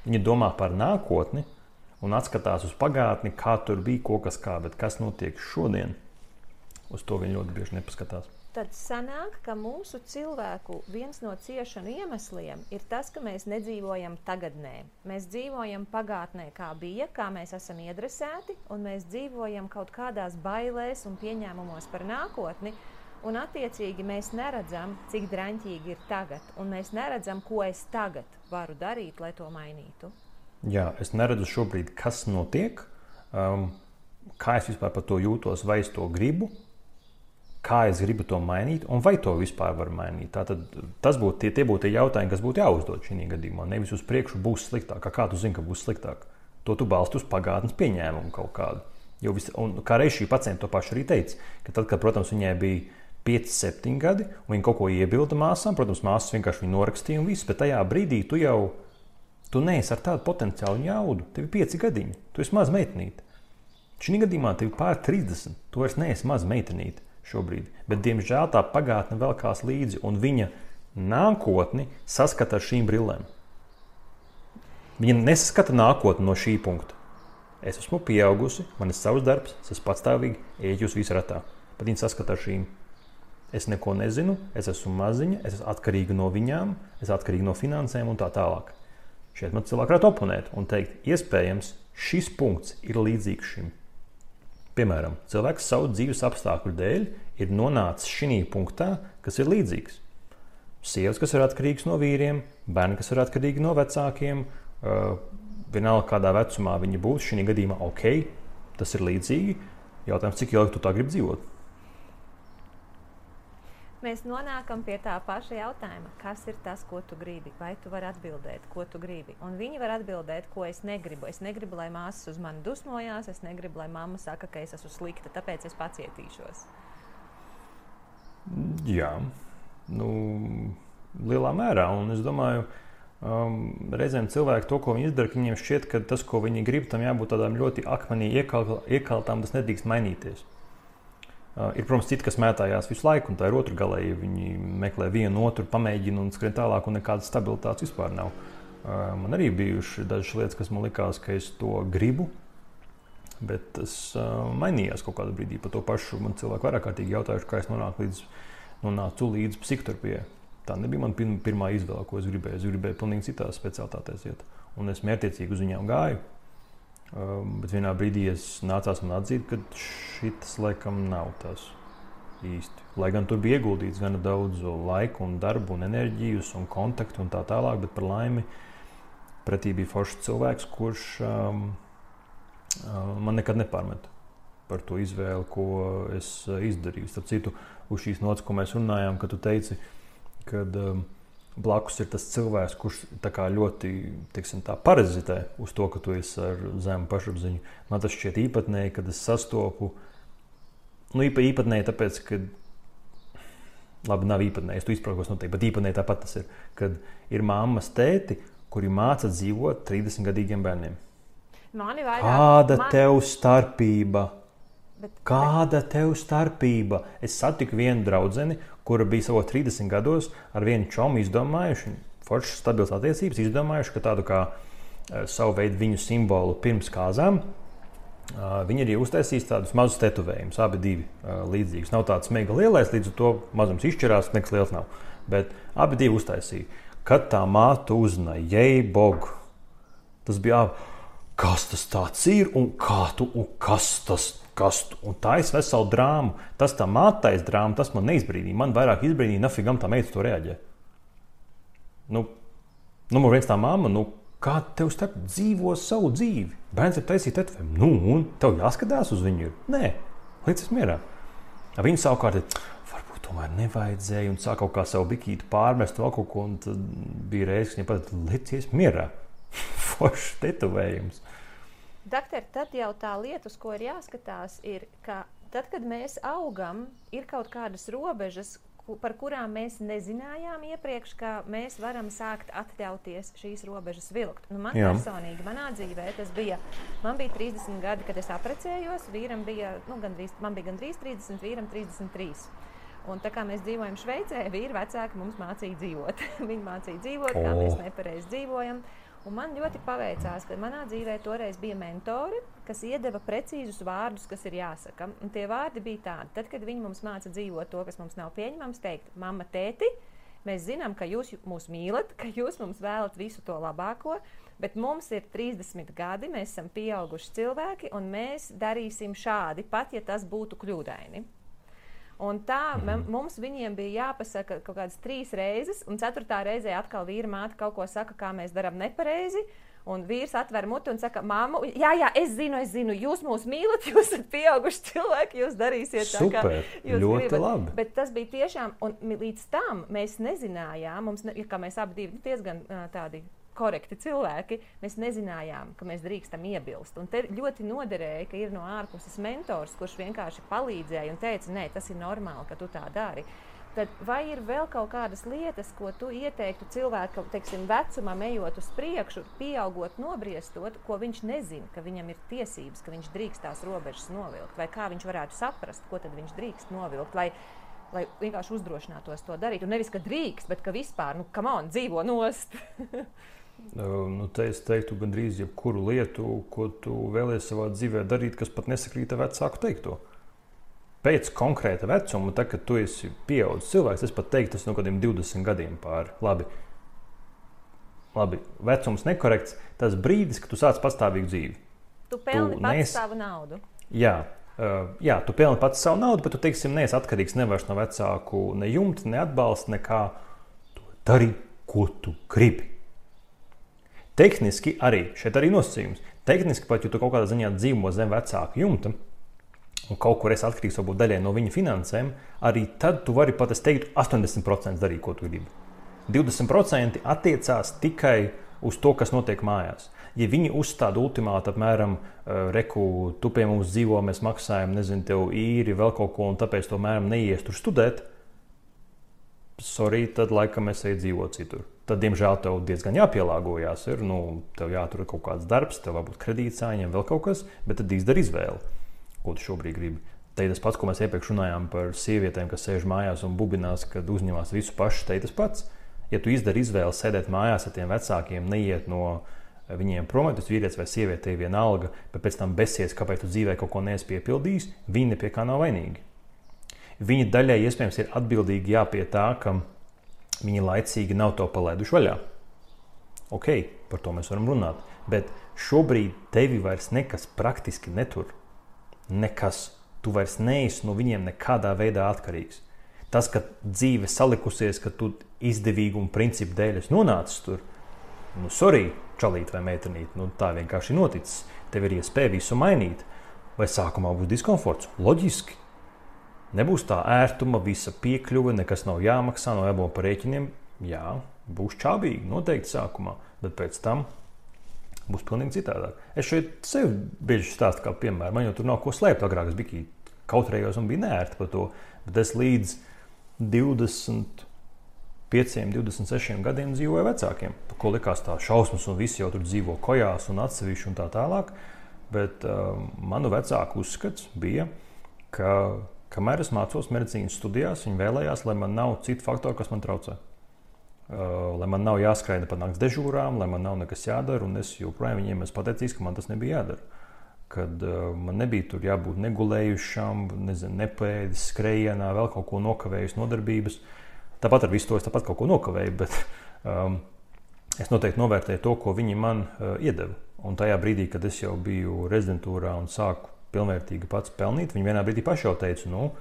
Viņi domā par nākotni un atskatās uz pagātni, kā tur bija, ko kas kā, bet kas notiek šodien, uz to viņi ļoti bieži nepaskatās. Tad sanāk, ka mūsu cilvēku viens no ciešanu iemesliem ir tas, ka mēs nedzīvojam tagadnē. Mēs dzīvojam pagātnē, kā bija, kā mēs esam iedresēti, un mēs dzīvojam kaut kādās bailēs un pieņēmumos par nākotni, un attiecīgi mēs neredzam, cik draņķīgi ir tagad, un mēs neredzam, ko es tagad varu darīt, lai to mainītu. Jā, es neredzu šobrīd, kas notiek, um, kā es vispār par to jūtos, vai es to gribu, kā es gribu to mainīt, un vai to vispār var mainīt. Tātad tas būtu tie, tie būtu tie jautājumi, kas būtu jāuzdod šī gadījumā. Nevis uz priekšu būs sliktāk, kā tu zini, ka būs sliktāk. To tu balsti uz pagātnes pieņēmumu kaut kādu. Jo vis, un kā reiz šī pacienta to pašu arī teica, ka tad, kad, protams, viņai bija pieci, septiņi gadi, un viņa kaut ko iebilda māsām, protams, māsas vienkārši viņu norakstīja un viss, bet tajā brīdī tu jau Tu neesi ar tādu potenciālu jaudu. Tev ir pieci gadiņi. Tu esi maz meitenīte. Šī gadījumā tev ir pār trīsdesmit. Tu vairs neesi maz meitenīte šobrīd. Bet, diemžēl, tā pagātne velkās līdzi, un viņa nākotni saskata ar šīm brillēm. Viņa nesaskata nākotni no šī punkta. Es esmu pieaugusi, man ir savs darbs, es esmu patstāvīgi, eju uz visu ratā. Bet viņa saskata ar šīm. Es neko nezinu, es esmu maziņa, es esmu atkarīga no viņām, es esmu atkarīga no finansēm un tā tālāk. Šeit man cilvēki varētu oponēt un teikt, iespējams, šis punkts ir līdzīgs šim. Piemēram, cilvēks savu dzīves apstākļu dēļ ir nonācis šī punktā, kas ir līdzīgs. Sievas, kas ir atkarīgas no vīriem, bērni, kas ir atkarīgi no vecākiem, uh, vienalga kādā vecumā viņi būs, šī gadījumā ok, tas ir līdzīgi. Jautājums, cik ilgi tu tā gribi dzīvot? Mēs nonākam pie tā paša jautājuma, kas ir tas, ko tu gribi, vai tu vari atbildēt, ko tu gribi. Un viņi var atbildēt, ko es negribu. Es negribu, lai māsas uz mani dusmojās, es negribu, lai mamma saka, ka es esmu slikta, tāpēc es pacietīšos. Jā, nu, lielā mērā. Un es domāju, um, reizēm cilvēki to, ko viņi izdara, ka viņiem šķiet, ka tas, ko viņi grib, tam jābūt tādām ļoti akmenī iekal, iekaltām, tas nedrīkst mainīties. Uh, ir, protams, citi, kas mētājās visu laiku, un tā ir otru galēji. Viņi meklē vienu, otru, pamēģina un skrien tālāk, un nekādas stabilitātes vispār nav. Uh, man arī bijuši dažas lietas, kas man likās, ka es to gribu, bet tas uh, mainījās kaut kādā brīdī. Par to pašu man cilvēki vairāk kārtīgi jautājuši, kā es nonāku līdz, nonācu līdz psihoterapijai. Tā nebija man pirmā izvēle, ko es gribēju. Es gribēju pilnīgi citās specialitātēs iet, un es mērķiecīgi uz viņām gāju. Um, bet vienā brīdī es nācās man atzīt, ka šitas laikam nav tas īsti. Lai gan tur bija ieguldīts gana daudz laika un darbu un enerģijas un kontaktu un tā tālāk, bet par laimi pretī bija foršs cilvēks, kurš um, um, man nekad nepārmeta. par to izvēli, ko es izdarīju. Starp citu, uz šīs nots, ko mēs runājām, kad tu teici, kad um, blakus ir tas cilvēks, kurš tā kā ļoti, teiksim, tā parazitē uz to, ka tu esi ar zemu pašapziņu. Man tas šķiet īpatnēji, kad es sastopu, nu īpa, īpatnēji tāpēc, ka, labi, nav īpatnēji, es tu izprākos noteikti, bet īpatnēji tāpat tas ir, kad ir mammas tēti, kuri māca dzīvot trīsdesmitgadīgiem bērniem. Mani vairāk, Kāda man... tev starpība? Bet, Kāda bet... tev starpība? Es satiku vienu draudzeni, kura bija savos trīsdesmit gados ar vienu čomu izdomājuši, foršas stabilas attiecības, izdomājuši, ka tādu kā uh, savu veidu viņu simbolu pirms kāzām, uh, viņi arī uztaisīs tādus mazus tetovējumus, abi divi uh, līdzīgus. Nav tāds mega lielais, līdz ar to mazums izšķirās, nekas liels nav. Bet abi divi uztaisīja. Kad tā māte uzzināja, jei bogu, tas bija, kas tas tāds ir un kā tu, un kas tas, kas tu, un tā es veselu drāmu. Tas tā mātais drāma, tas man neizbrīnīja. Man vairāk izbrīnīja, nafigam tā meita to reaģē. Nu, numur viens tā mamma, nu, kā tev starp dzīvo savu dzīvi? Bērns ir taisīt tetovējumu. Nu, un tev jāskatās uz viņu ir? Nē, līdz es mierā. Viņa savukārt ir, varbūt tomēr nevajadzēja, un sāk kaut kā savu bikītu pārmest vēl kaut ko, un tad bija reizes, ka viņa pat licies mierā. Foršs tetovējums. Doktor, tad jau tā lieta, uz ko ir jāskatās, ir, ka tad, kad mēs augam, ir kaut kādas robežas, par kurām mēs nezinājām iepriekš, ka mēs varam sākt atļauties šīs robežas vilkt. Nu, man Jā. personīgi, manā dzīvē tas bija, man bija trīsdesmit gadi, kad es aprecējos, vīram bija, nu, gandrīz, man bija gandrīz trīsdesmit, vīram trīsdesmit trīs. Un tā kā mēs dzīvojam Šveicē, vīri vecāki mums mācīja dzīvot. Viņi mācīja dzīvot, kā mēs nepareizi dzīvojam. Un man ļoti paveicās, ka manā dzīvē toreiz bija mentori, kas iedeva precīzus vārdus, kas ir jāsaka. Un tie vārdi bija tādi, tad, kad viņi mums māca dzīvot to, kas mums nav pieņemams, teikt, mamma, tēti, mēs zinām, ka jūs mūs mīlat, ka jūs mums vēlat visu to labāko, bet mums ir trīsdesmit gadi, mēs esam pieauguši cilvēki, un mēs darīsim šādi, pat ja tas būtu kļūdaini. Un tā mums viņiem bija jāpasaka kaut kādas trīs reizes, un ceturtā reizē atkal vīra māte kaut ko saka, kā mēs darām nepareizi, un vīrs atver muti un saka, māmu, jā, jā, es zinu, es zinu, jūs mūs mīlat, jūs esat pieauguši cilvēki, jūs darīsiet tā, Super, kā jūs ļoti gribat. Labi. Bet tas bija tiešām, un līdz tam mēs nezinājām, mums, ne, kā mēs abi divi diezgan tādi korekti cilvēki, mēs nezinājām, ka mēs drīkstam iebilst. Un te ļoti noderēja, ka ir no ārpuses mentors, kurš vienkārši palīdzēja un teica, nē, tas ir normāli, ka tu tā dari. Tad vai ir vēl kaut kādas lietas, ko tu ieteiktu cilvēku, teiksim, vecumam ejot uz priekšu, pieaugot, nobriestot, ko viņš nezina, ka viņam ir tiesības, ka viņš drīkst tās robežas novilkt, vai kā viņš varētu saprast, ko tad viņš drīkst novilkt, lai, lai vienkārši uzdrošinātos to darīt. Un nevis, ka drīkst, bet ka vispār, nu, come on, dzīvo nost. Nu, te es teiktu gandrīz jebkuru lietu, ko tu vēlies savā dzīvē darīt, kas pat nesakrīt ar vecāku teikto. Pēc konkrēta vecuma, tad, kad tu esi pieaudzis cilvēks, es pat teiktu, tas no kādiem divdesmit gadiem pāri. Labi, labi, vecums nekorekts, tas brīdis, kad tu sāc pastāvīgu dzīvi. Tu pelni tu pats nes... savu naudu. Jā, uh, jā, tu pelni pats savu naudu, bet tu, teiksim, neesi atkarīgs nevairs no vecāku ne jumta, ne atbalsta, nekā. Tu dari, ko tu gribi. Tehniski arī, šeit arī nosacījums. Tehniski pat, ja tu kaut kādā ziņā dzīvo zem vecāku jumta un kaut kur esi atkarīgs varbūt daļai no viņa finansēm, arī tad tu vari pat, es teiktu, astoņdesmit procenti darīt, ko tu gribi. divdesmit procenti attiecās tikai uz to, kas notiek mājās. Ja viņi uzstāda ultimātu apmēram, reku, tu pie mums dzīvo, mēs maksājam, nezinu, tev īri, vēl kaut ko, un tāpēc to mēram neies tur studēt, sorry, tad laikam es eju dzīvot citur. Tad, diemžēl, tev diezgan jāpielāgojās. Ir, nu, tev jātur kaut kāds darbs, tev varbūt kredīts jāņem, vēl kaut kas, bet tad izdari izvēli, ko tu šobrīd gribi. Te tas pats, ko mēs iepriekš runājām par sievietēm, kas sēž mājās un bubinās, kad uzņemās visu pašu, te tas pats. Ja tu izdari izvēli sēdēt mājās ar tiem vecākiem, neiet no viņiem prom, tas vīrietis vai sieviete ir vienalga, bet pēc tam besies, kāpēc tu dzīvē kaut ko neesi piepildījis, viņi ne pie kā nav vainīgi. Viņi daļai iespējams ir atbildīgi jā pie tā, ka viņi laicīgi nav to palaiduši vaļā. Ok, par to mēs varam runāt, bet šobrīd tevi vairs nekas praktiski netur. Nekas. Tu vairs neesi no viņiem nekādā veidā atkarīgs. Tas, ka dzīve salikusies, ka tu izdevīgu un principu dēļ esi nonācis tur, nu, sorry, čalīt vai meitenīt, nu, tā vienkārši noticis. Tev ir iespēja visu mainīt. Vai sākumā būs diskomforts? Loģiski. Nebūs tā ērtuma, visa piekļuve, nekas nav jāmaksā, nav jābūt par rēķiniem. Jā, būs čābīgi, noteikti sākumā, bet pēc tam būs pilnīgi citādāk. Es šeit sev bieži stāstu kā piemēru. Man jau tur nav ko slēpt. Agrāk es biju kautrējos un bija neērti par to, bet es līdz divdesmit pieciem, divdesmit sešiem gadiem dzīvoju vecākiem. Par ko likās tā šausmas un visi jau tur dzīvo kojās un atsevišķi un tā tālāk. Bet uh, manu vecāku uzskats bija, ka kamēr es mācos medicīnas studijās, viņi vēlējās, lai man nav citu faktoru, kas man traucē. Uh, lai man nav jāskraida pa nakts dežūrām, lai man nav nekas jādara, un es joprojām viņiem esmu pateicīgs, ka man tas nebija jādara. Kad uh, man nebija tur jābūt negulējušam, nezinu, nepēdis, skrejienā, vēl kaut ko nokavējis nodarbības. Tāpat ar visu to es tāpat kaut ko nokavēju, bet um, es noteikti novērtēju to, ko viņi man uh, iedeva. Un tajā brīdī, kad es jau biju rezidentūrā un sāku pilnvērtīgi pats pelnīt, viņi vienā brīdī paši jau teica, nu,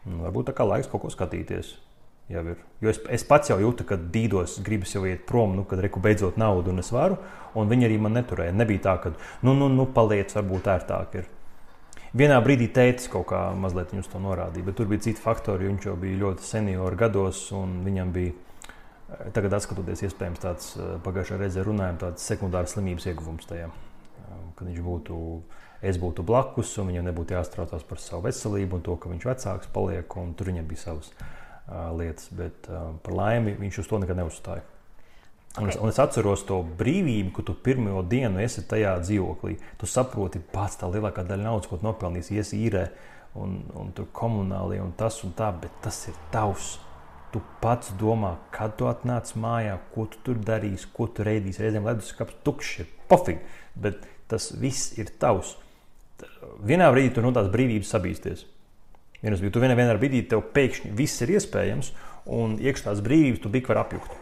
varbūt tā kā laiks kaut ko skatīties. Jau ir. Jo es, es pats jau jūtu, kad dīdos, gribas jau iet prom, nu, kad reku beidzot naudu un es varu, un viņi arī man neturēja. Nebija tā, ka, nu, nu, nu, paliec, varbūt ērtāk ir. Vienā brīdī tētis kaut kā mazliet viņus to norādīja, bet tur bija citi faktori, jo viņš jau bija ļoti seniori gados, un viņam bija, tagad atskatoties, iespējams tāds, pagājušā reizē runājam, tāds sekundārs slimības ieguvums tajā, kad viņš būtu, es būtu blakus, un viņam nebūtu jāstraucās par savu veselību, un to, ka viņš vecāks paliek, un tur viņam bija savas uh, lietas, bet uh, par laimi viņš uz to nekad neuzstāja. Okay. Un, es, un es atceros to brīvību, ka tu pirmo dienu esi tajā dzīvoklī, tu saproti pats tā lielākā daļa naudas, ko tu nopelnīsi, iesi īrē, un, un tur komunālie, un tas un tā, bet tas ir tavs. Tu pats domā, kad tu atnāc mājā, ko tu tur darīsi, ko tu reidīsi. Reizēm leduskapis tukšs ir pofīgi, bet tas viss ir tavs. Vienā brīdī tu no tās brīvības sabīsties. Vienas brīdī, tu vienā, vienā brīdī tev pēkšņi viss ir iespējams, un iekš tās brīvības tu bik var apjukt.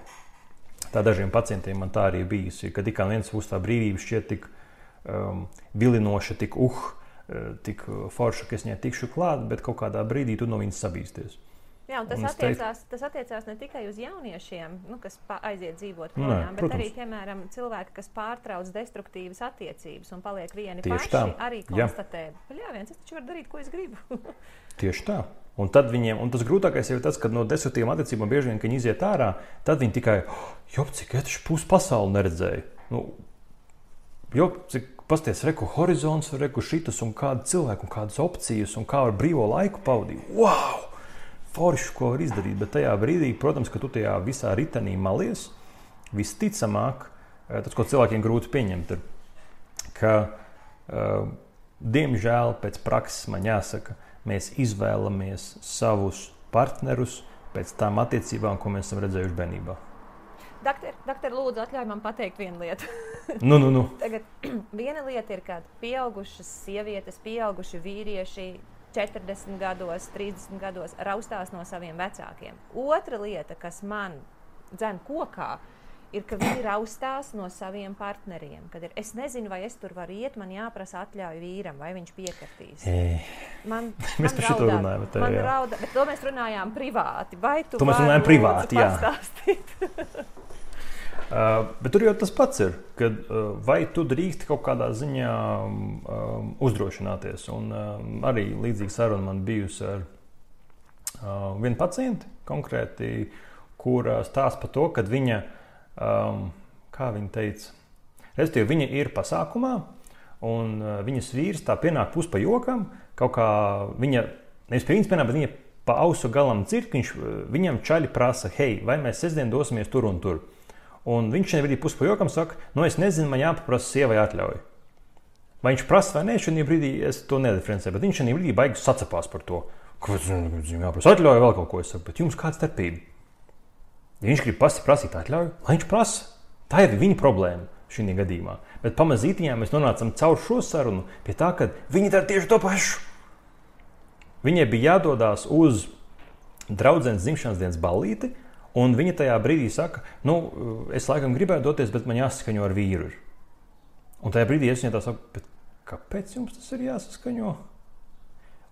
Tā dažiem pacientiem man tā arī bijusi, kad tikā viens būs tā brīvība šķiet tik um, vilinoša, tik uh, tik forša, ka es viņai tikšu klāt, bet kaut kādā brīdī tu no viņas sabīsties. Jā, un tas, un attiecās, teicu, tas attiecās ne tikai uz jauniešiem, nu, kas aiziet dzīvot projām, bet arī, piemēram, cilvēki, kas pārtrauc destruktīvas attiecības un paliek vieni Tieši paši, tā. arī konstatē, ka jā, viens, es taču varu darīt, ko es gribu. Tieši tā. Un tad viņiem, un tas grūtākais ir tas, ka no destruktīvām attiecībām bieži vien, kad viņi iziet ārā, tad viņi tikai, jo, cik es taču pusi pasauli neredzēju. Nu, jo, cik pasties, reku horizons, reku šitas un kādu cilvēku un kādas opcijas un kā ar brīvo laiku pavadīt. Wow! Forši, ko var izdarīt, bet tajā brīdī, protams, ka tu tajā visā ritenī malies, visticamāk, tas, ko cilvēkiem grūti pieņemt, ir, ka, uh, diemžēl, pēc prakses man jāsaka, mēs izvēlamies savus partnerus pēc tām attiecībām, ko mēs esam redzējuši bērnībā. Doktor, doktor, lūdzu, atļauj man pateikt vienu lietu. nu, nu, nu. Tagad viena lieta ir, kad pieaugušas sievietes, pieauguši vīrieši, četrdesmit gados, trīsdesmit gados raustās no saviem vecākiem. Otra lieta, kas man dzen kokā, ir, ka viņi raustās no saviem partneriem. Kad ir, es nezinu, vai es tur varu iet, man jāprasa atļauju vīram, vai viņš piekritīs. Man, mēs par šito runājam. Tā, man raudā, bet to mēs runājām privāti. Vai tu to mēs runājam privāti, jā. Uh, bet tur jau tas pats ir, kad uh, vai tu drīksti kaut kādā ziņā um, uzdrošināties. Un um, arī līdzīga saruna man bijusi ar uh, vienu pacienti konkrēti, kur uh, stāsta par to, kad viņa, um, kā viņa teica, respektīvi viņa ir pasākumā un uh, viņas vīrs tā pienāk pus pa jokam, kaut kā viņa, nevis pie viņas pienāk, bet viņa pa ausu galam dzird, viņš, viņam čaļi prasa, hei, vai mēs sestdien dosimies tur un tur. Un viņš šajā brīdī pus pa jokam saka, nu es nezinu, man jāpaprasa sievai atļauju. Vai viņš prasa vai nē, šajā brīdī es to nediferencēju, bet viņš šajā brīdī baigi sacepās par to. Kāpēc viņam jāprasa atļauju, vēl kaut ko es saku, bet jums kāda starpība? Ja viņš grib pasi prasīt atļauju, lai viņš prasa. Tā ir viņa problēma šajā gadījumā. Bet pamazītiņā mēs nonācam caur šo sarunu pie tā, ka viņi dara tieši to pašu. Viņai bija jādodās uz draudzenes dzimšanas dienas ballīti, un viņa tajā brīdī saka, nu, es laikam gribētu doties, bet man jāsaskaņo ar vīru. Un tajā brīdī es viņai tā saku, bet kāpēc jums tas ir jāsaskaņo?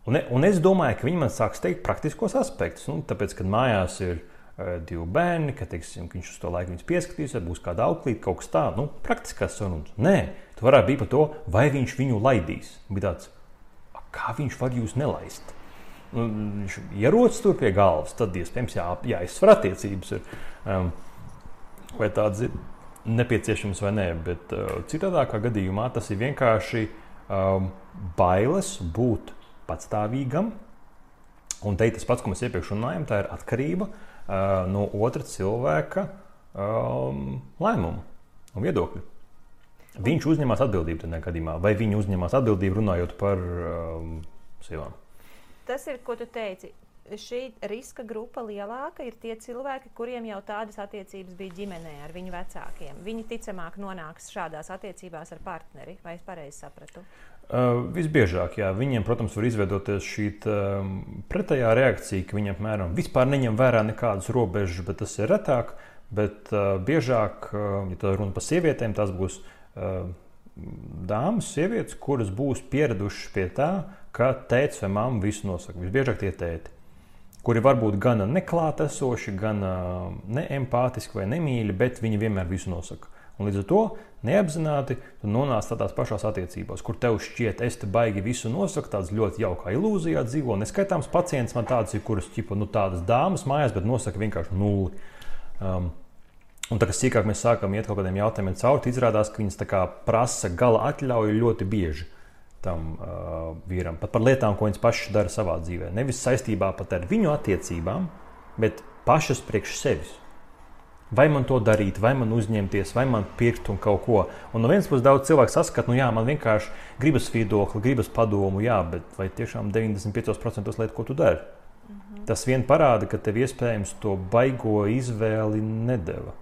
Un, un es domāju, ka viņi man sāks teikt praktiskos aspektus. Nu, tāpēc, kad mājās ir uh, divi bērni, ka, teiksim, ka viņš uz to laiku viņus pieskatīs, vai būs kāda auklīte, kaut kas tā, nu, praktiskās sarunas. Nē, tu varētu būt par to, vai viņš viņu laidīs. Bija tāds, kā viņš var jūs nelaist? Nu, viņš ierodas tur pie galvas, tad iespējams jā, jāizsver attiecības ir. Um, vai tāds ir nepieciešams vai nē, bet uh, citādākā gadījumā tas ir vienkārši um, bailes būt patstāvīgam. Un te tas pats, ko mēs iepriekš runājam, tā ir atkarība uh, no otra cilvēka um, lēmumu un viedokļu. Viņš uzņemās atbildību tādā gadījumā, vai viņi uzņemās atbildību runājot par um, sievām? Tas ir, ko tu teici. Šī riska grupa lielāka ir tie cilvēki, kuriem jau tādas attiecības bija ģimenē ar viņu vecākiem. Viņi ticamāk nonāks šādās attiecībās ar partneri, vai es pareizi sapratu? Uh, visbiežāk, jā. Viņiem, protams, var izveidoties šī um, pretējā reakcija, ka viņi apmēram vispār neņem vērā nekādas robežas, bet tas ir retāk. Bet uh, biežāk, uh, ja tā runa par sievietēm, tās būs uh, dāmas, sievietes, kuras būs pieradušas pie tā, ka tētis vai mamma visu nosaka. Visbiežāk tie tēti, kuri varbūt gan neklātesoši, gan uh, neempātiski vai nemīļi, bet viņi vienmēr visu nosaka. Un līdz ar to neapzināti tu nonāc tādās pašās attiecībās, kur tev šķiet, es te baigi visu nosaku, tāds ļoti jaukā ilūzijā dzīvo. Neskaitāms pacients man tāds ir, kuras ķipa, nu, tādas dāmas mājās, bet nosaka vienkārši nulli. Um, un tā, kas sīkāk mēs sākam iet kaut kādiem jautājumiem cauri, izrādās, ka viņas tā kā prasa gala atļauju ļoti bieži tam uh, vīram. Pat par lietām, ko viņas pašas dara savā dzīvē. Nevis saistībā pat ar viņu attiecībām, bet pašas priekš sevis. Vai man to darīt, vai man uzņemties, vai man pirkt un kaut ko. Un no vienas puses daudz cilvēku saskat, nu jā, man vienkārši gribas viedokli, gribas padomu, jā, bet vai tiešām deviņdesmit piecos procentos lietu, ko tu dari? Mm-hmm. Tas vien parāda, ka tev iespējams to baigo izvēli nedeva.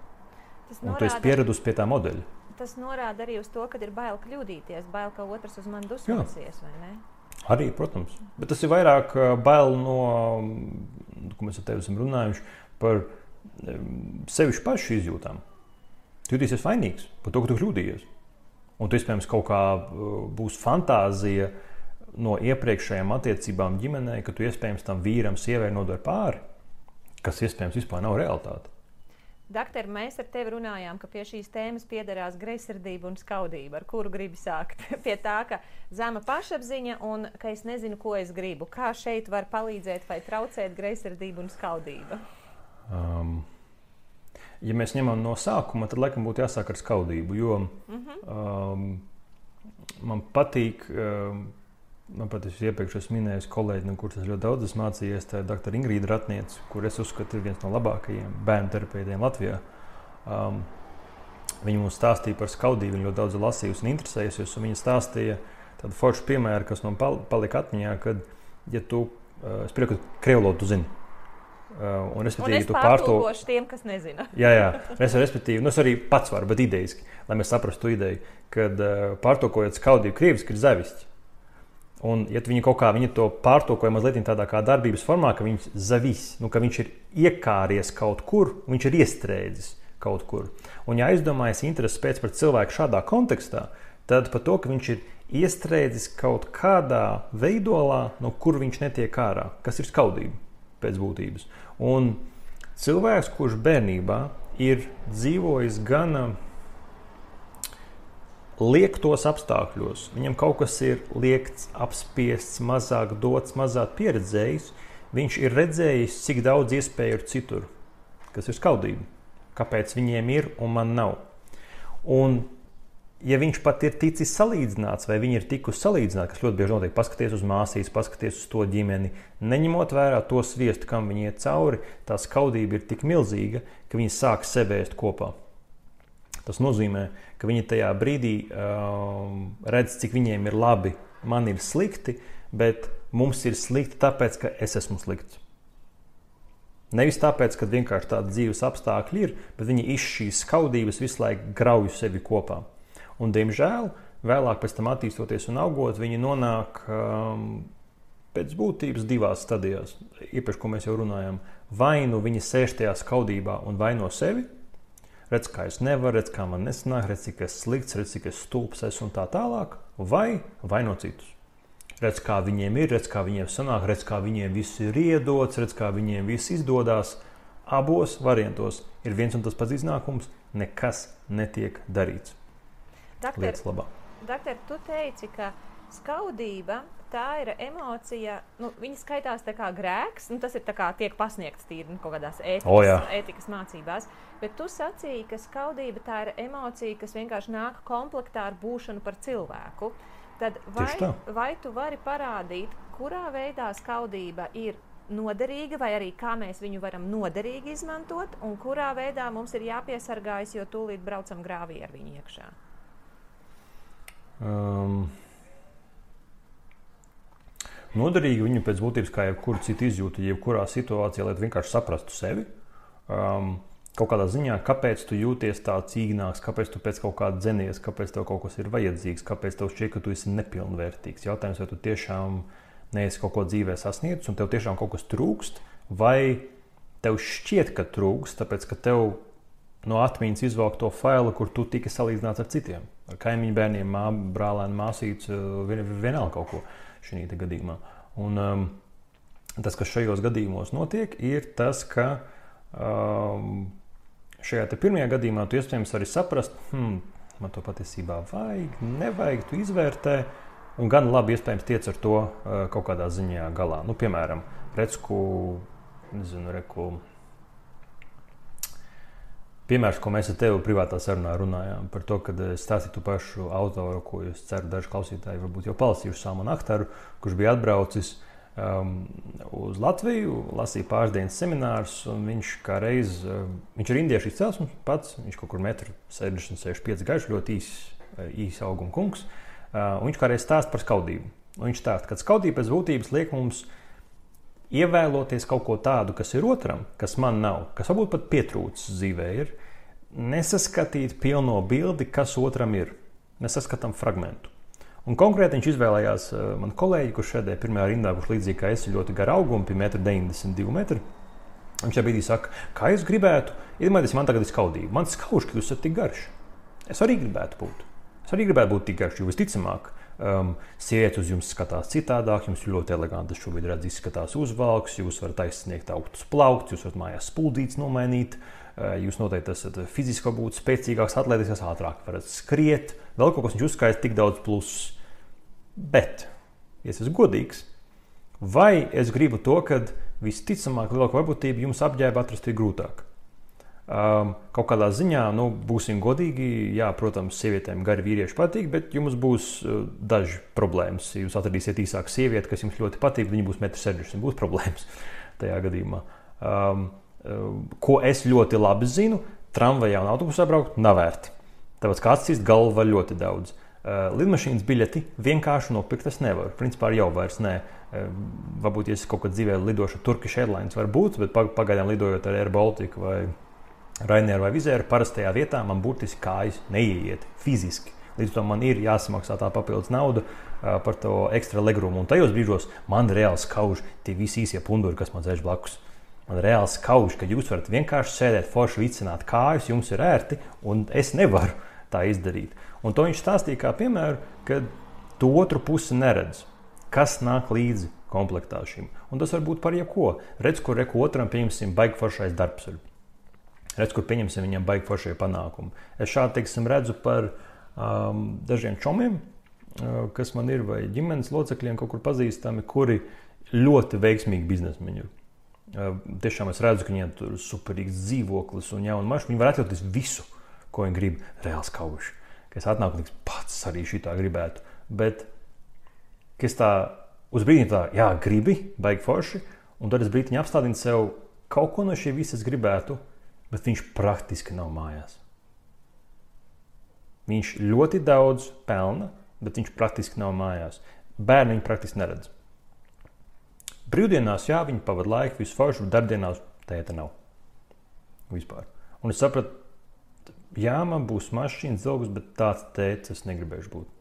Tas norāda, un tu esi pieradusi pie tā modeļa. Tas norāda arī uz to, ka ir bail kļūdīties, bail, ka otrs uz mani dusmosies, vai ne? Arī, protams. Bet tas ir vairāk bail no, ko mēs ar tevi esam runājuši, par sevišķi pašu izjūtām. Tu jutīsies vainīgs par to, ka tu kļūdījies. Un tu, iespējams, kaut kā būs fantāzija no iepriekšējām attiecībām ģimenē, ka tu, iespējams, tam vīram, sievai nodari pāri, kas, iespējams, vispār nav realitāte. Dakter, mēs ar tevi runājām, ka pie šīs tēmas piederās greizsirdība un skaudība, ar kuru gribi sākt. Pie tā, ka zema pašapziņa un ka es nezinu, ko es gribu. Kā šeit var palīdzēt vai traucēt greizsirdība un skaudība? Um, ja mēs ņemam no sākuma, tad laikam būtu jāsāk ar skaudību, jo mm-hmm. um, man patīk, um, man pat es iepriekš esmu minējis kolēģi, no kuras es ļoti daudz esmu mācījies, tā ir doktora Ingrīda Ratniece, kur es uzskatu ir viens no labākajiem bērnu terapeitiem Latvijā. Um, viņa mums stāstīja par skaudību, viņa ļoti daudz lasījusi un interesējusies, un viņa stāstīja tādu foršu piemēru, kas man palika atmiņā, kad, ja tu, uh, es prieku, ka krievlodu tu zini. Uh, un, un es pārtulkošu tiem, kas nezina. jā, jā. Es, respektīvi, nu, es arī pats varu, bet ideiski, lai mēs saprastu ideju, kad uh, pārtulkojot skaudību krieviski ir zavišķi. Un, ja viņi kaut kā viņi to pārtulkoja mazliet tādā kā darbības formā, ka viņš zavis, nu, ka viņš ir iekāries kaut kur, viņš ir iestrēdzis kaut kur. Un, ja aizdomājas intereses pēc par cilvēku šādā kontekstā, tad par to, ka viņš ir iestrēdzis kaut kādā veidolā, no kur viņš netiek ārā, kas ir skaudība pēc būtības. Un cilvēks, kurš bērnībā ir dzīvojis gan liektos apstākļos, viņam kaut kas ir liekts, apspiests, mazāk dots, mazāk pieredzējis, viņš ir redzējis, cik daudz iespēju ir citur, kas ir skaudība. Kāpēc viņiem ir un man nav. Un ja viņš pat ir ticis salīdzināts, vai viņi ir tikusi salīdzināti, kas ļoti bieži notiek, paskaties uz māsīs, paskaties uz to ģimeni, neņemot vērā to sviestu, kam viņi iet cauri, tā skaudība ir tik milzīga, ka viņi sāk sebēst kopā. Tas nozīmē, ka viņi tajā brīdī um, redz, cik viņiem ir labi, man ir slikti, bet mums ir slikti tāpēc, ka es esmu slikts. Nevis tāpēc, ka vienkārši tādi dzīves apstākļi ir, bet viņi iz šīs skaudības visu laiku grauj sevi kopā. Un, diemžēl, vēlāk pēc tam attīstoties un augot, viņi nonāk um, pēc būtības divās stadijās. Iepriekš, ko mēs jau runājam, vai nu viņi sēž tajā skaudībā un vaino sevi, redz, kā es nevaru, redz, kā man nesanāk, redz, cik es slikts, redz, cik es stulbs esmu un tā tālāk, vai vaino citus. Redz, kā viņiem ir, redz, kā viņiem sanāk, redz, kā viņiem viss ir iedots, redz, kā viņiem viss izdodās. Abos variantos ir viens un tas pats iznākums, nekas netiek darīts. Doktor, doktor, tu teici, ka skaudība tā ir emocija, nu, viņa skaitās tā kā grēks, nu, tas ir tā kā tiek pasniegts tīri nu, kaut kādās ētikas, oh, ētikas mācībās, bet tu sacīji, ka skaudība tā ir emocija, kas vienkārši nāk komplektā ar būšanu par cilvēku. Tad vai, vai tu vari parādīt, kurā veidā skaudība ir noderīga, vai arī kā mēs viņu varam noderīgi izmantot, un kurā veidā mums ir jāpiesargājas, jo tūlīt braucam grāvī ar viņu iekšā? Um, noderīgi viņu pēc būtības kā jebkuru citu izjūtu, jebkurā situācijā, lai tu vienkārši saprastu sevi. Um, kaut kādā ziņā, kāpēc tu jūties tāds īgnāks, kāpēc tu pēc kaut kāda dzenies, kāpēc tev kaut kas ir vajadzīgs, kāpēc tev šķiet, ka tu esi nepilnvērtīgs. Jautājums, vai tu tiešām neesi kaut ko dzīvē sasniedzis un tev tiešām kaut kas trūkst, vai tev šķiet, ka trūkst, tāpēc, ka tev no atmiņas izvelk to failu, kur tu tika salīdzināts ar citiem. Ar kaimiņu bērniem, mā, brālēnu, māsītes, vien, vienalga kaut ko šī gadījumā. Un um, tas, kas šajos gadījumos notiek, ir tas, ka um, šajā te pirmajā gadījumā tu iespējams arī saprast, hmm, man to patiesībā vajag, nevajag, tu izvērtē, un gan labi iespējams tiec ar to uh, kaut kādā ziņā galā. Nu, piemēram, Recku, nezinu, Reku, piemērs, ko mēs ar tevi privātā sarunā runājām, par to, kad stāstītu pašu autoru, ko es ceru, daži klausītāji varbūt jau palasījuši Salmanu Akhtaru, kurš bija atbraucis um, uz Latviju, lasīja pāris dienas seminārus, un viņš kā reiz, um, viņš ir indiešu izcelsmes pats, viņš kaut kur metru sešdesmit, sešdesmit pieci garš, ļoti īs, īs auguma kungs. Uh, viņš kādreiz stāsta par skaudību. Un viņš stāsta, ka skaudība pēc būtības liek mums ievēloties kaut ko tādu, kas ir otram, kas man nav, kas varbūt pat pietrūcis dzīvē ir, nesaskatīt pilno bildi, kas otram ir. Mēs saskatām fragmentu. Un konkrēti viņš izvēlējās uh, man kolēģi, kurš šādē pirmajā rindā, kurš līdzīgi kā es ir ļoti gara auguma, pie metru deviņdesmit divi metri. Viņš šajā brīdī saka, kā es gribētu, iedomājieties, man tagad ir skaudība. Man skauž, ka jūs esat tik garš. Es arī gribētu būt. Es arī gribētu būt tik garš, jo visticamāk, um, sievietes uz jums skatās citādāk, jums ļoti eleganti šobrīd redz izskatās uzvalks, jūs varat aizsniegt augstus plauktus, jūs varat mājās spuldītes nomainīt, uh, jūs noteikti esat fiziski būt spēcīgāks, atlētīsies ātrāk, varat skriet, vēl kaut kas viņš uzskaita tik daudz plusus. Bet, ja es esmu godīgs, vai es gribu to, kad visticamāk lielāko varbūtību jums apģērbu atrast ir grūtāk? Um, kaut kādā ziņā, nu, būsim godīgi, jā, protams, sievietēm gari vīrieši patīk, bet jums būs uh, daži problēmas. Ja jūs atradīsiet īsāku sievieti, kas jums ļoti patīk, viņa būs metru sešdesmit, būs problēmas tajā gadījumā. Um, uh, ko es ļoti labi zinu, tramvajā un autobusā braukt nav vērti. Tāpēc kā atcīst galvu var ļoti daudz. Uh, lidmašīnas biļeti vienkārši nopirkt es nevaru. Principā jau vairs nē. Uh, varbūt, ja es kaut kad dzīvē lidošu Turkish Airlines var būt, bet pagaidām lidojot ar Air Baltica vai Rainēru vai Vizēru, parastajā vietā man burtiski kājas neieiet fiziski. Līdz to man ir jāsamaksā tā papildus nauda uh, par to ekstra legrumu. Un tajos brīžos man reāli skauž tie visi īsie punduri, kas man sēž blakus. Man reāli skauž, ka jūs varat vienkārši sēdēt, forši vicināt kājas, jums ir ērti, un es nevaru tā izdarīt. Un to viņš stāstīja kā piemēru, kad tu otru pusi neredz, kas nāk līdzi komplektā šim. Un tas var būt par jebko. Redz, kur reku otram pieņemsim baigi foršais darbs. Redz, kur pieņemsim viņam baigi foršie panākumi. Es šādi, teiksim, redzu par um, dažiem čomiem, uh, kas man ir, vai ģimenes locekļiem kaut kur pazīstami, kuri ļoti veiksmīgi biznesmeņi ir. Uh, tiešām es redzu, ka viņiem tur ir superīgs dzīvoklis un jauna mašīna. Viņi var atļauties visu, ko viņi grib, reāli skauži. Ka es atnāku un tiks, pats arī šitā gribētu. Bet, ka es tā uz brīdi tā, jā, gribi, baigi forši, un tad es brīdiņu apstādinu sev, kaut ko no šī visas gribētu, bet viņš praktiski nav mājās. Viņš ļoti daudz pelna, bet viņš praktiski nav mājās. Bērni viņu praktiski neredz. Brīvdienās, jā, viņi pavada laiku, visu foršu, bet darbdienās tēta nav. Vispār. Un es sapratu, jā, man būs mašīnas zilgus, bet tāds tēts es negribēšu būt.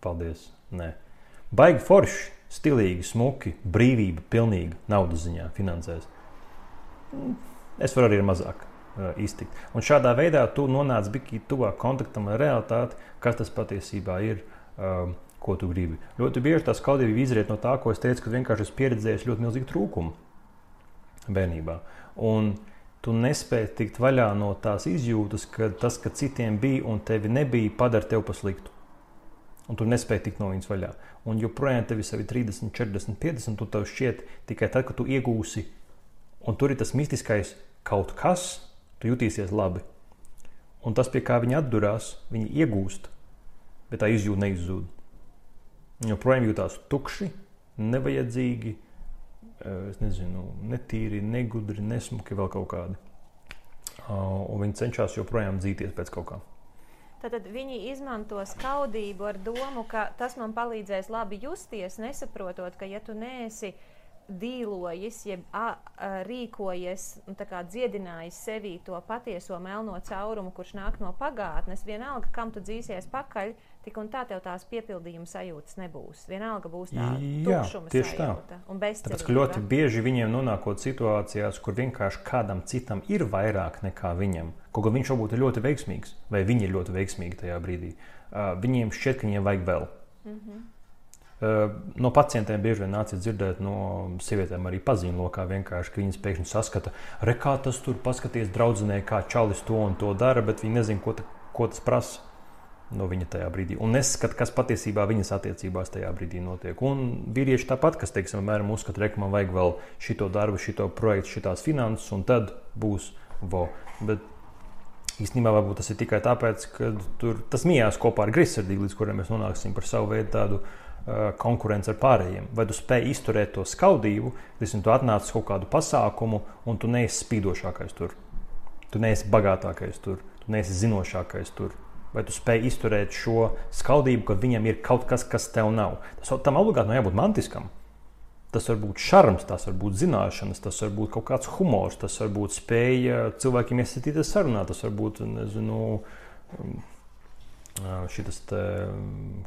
Paldies. Nē. Baigi forši, stilīgi, smuki, brīvība, pilnīga, naudas ziņā, finansēs. Es varu arī ar mazāk uh, iztikt. Un šādā veidā tu nonāc bikī tuvāk kontaktam ar realitāti, kas tas patiesībā ir, um, ko tu gribi. Ļoti bieži tā skaudība izriet no tā, ko es teicu, ka vienkārši es pieredzēju ļoti milzīgu trūkumu bērnībā. Un tu nespēji tikt vaļā no tās izjūtas, ka tas, ka citiem bija un tevi nebija, padara tev pa sliktu. un tu nespēji tikt no viņas vaļā. Un joprojām tev ir savi trīsdesmit, četrdesmit, piecdesmit, un tev šķiet tikai tad, kad tu iegūsi, un tur ir tas mistiskais kaut kas, tu jutīsies labi. Un tas, pie kā viņi atdurās, viņi iegūst, bet tā izjūta neizzūd. Viņi joprojām jūtās tukši, nevajadzīgi, es nezinu, netīri, negudri, nesmuki, vēl kaut kādi. Un viņi cenšas joprojām dzīties pēc kaut kā. Tātad viņi izmanto skaudību ar domu, ka tas man palīdzēs labi justies, nesaprotot, ka ja tu neesi dīlojis, jeb a, a, rīkojies un tā kā dziedinājis sevī to patieso melno caurumu, kurš nāk no pagātnes, vienalga, kam tu dzīsies pakaļ, tik un tā tev tās piepildījuma sajūtas nebūs. Vienalga būs tā tukšuma sajūta un bezcerība. Tāpēc, ka ļoti bieži viņiem nonākot situācijās, kur vienkārši kādam citam ir vairāk nekā viņam, kaut gan viņš varbūt ir ļoti veiksmīgs, vai viņi ir ļoti veiksmīgi tajā brīdī, uh, viņiem šķiet, ka viņiem vajag vēl. Mm-hmm. Uh, no pacientiem bieži vien nācis dzirdēt no sievietēm arī pazīmlokā vienkārši, ka viņas pēkšņi saskata, re, kā tas tur paskaties draudzenē, kā čalis to un to dara, bet viņi nezin, ko, ta, ko tas prasa no viņa tajā brīdī. Un neskat, kas patiesībā viņas attiecībās tajā brīdī notiek. Un vīrieši tāpat, kas, teiksim, mēram uzskata, re, ka man vajag vēl šito darbu, šito projektu, šitās finanses, un tad būs vo. Bet īstenībā varbūt tas ir tikai tāpēc, ka tur tas mijās kopā ar greizsirdību, līdz kuriem mēs nonāksim par savu veidu tādu uh, konkurenci ar pārējiem. Vai tu spēj izturēt to skaudību, līdz tu atnāc kaut kādu pasākumu, un tu neesi spīdošākais tur. Tu neesi bagātākais tur. Tu neesi zinošākais tur. Vai tu spēj izturēt šo skaudību, kad viņam ir kaut kas, kas tev nav. Tas tam obligāti nav jābūt mantiskam. Tas var būt šarms, tas var būt zināšanas, tas var būt kaut kāds humors, tas var būt spēja cilvēkiem iesaistīties sarunā, tas var būt, nezinu, šitas te,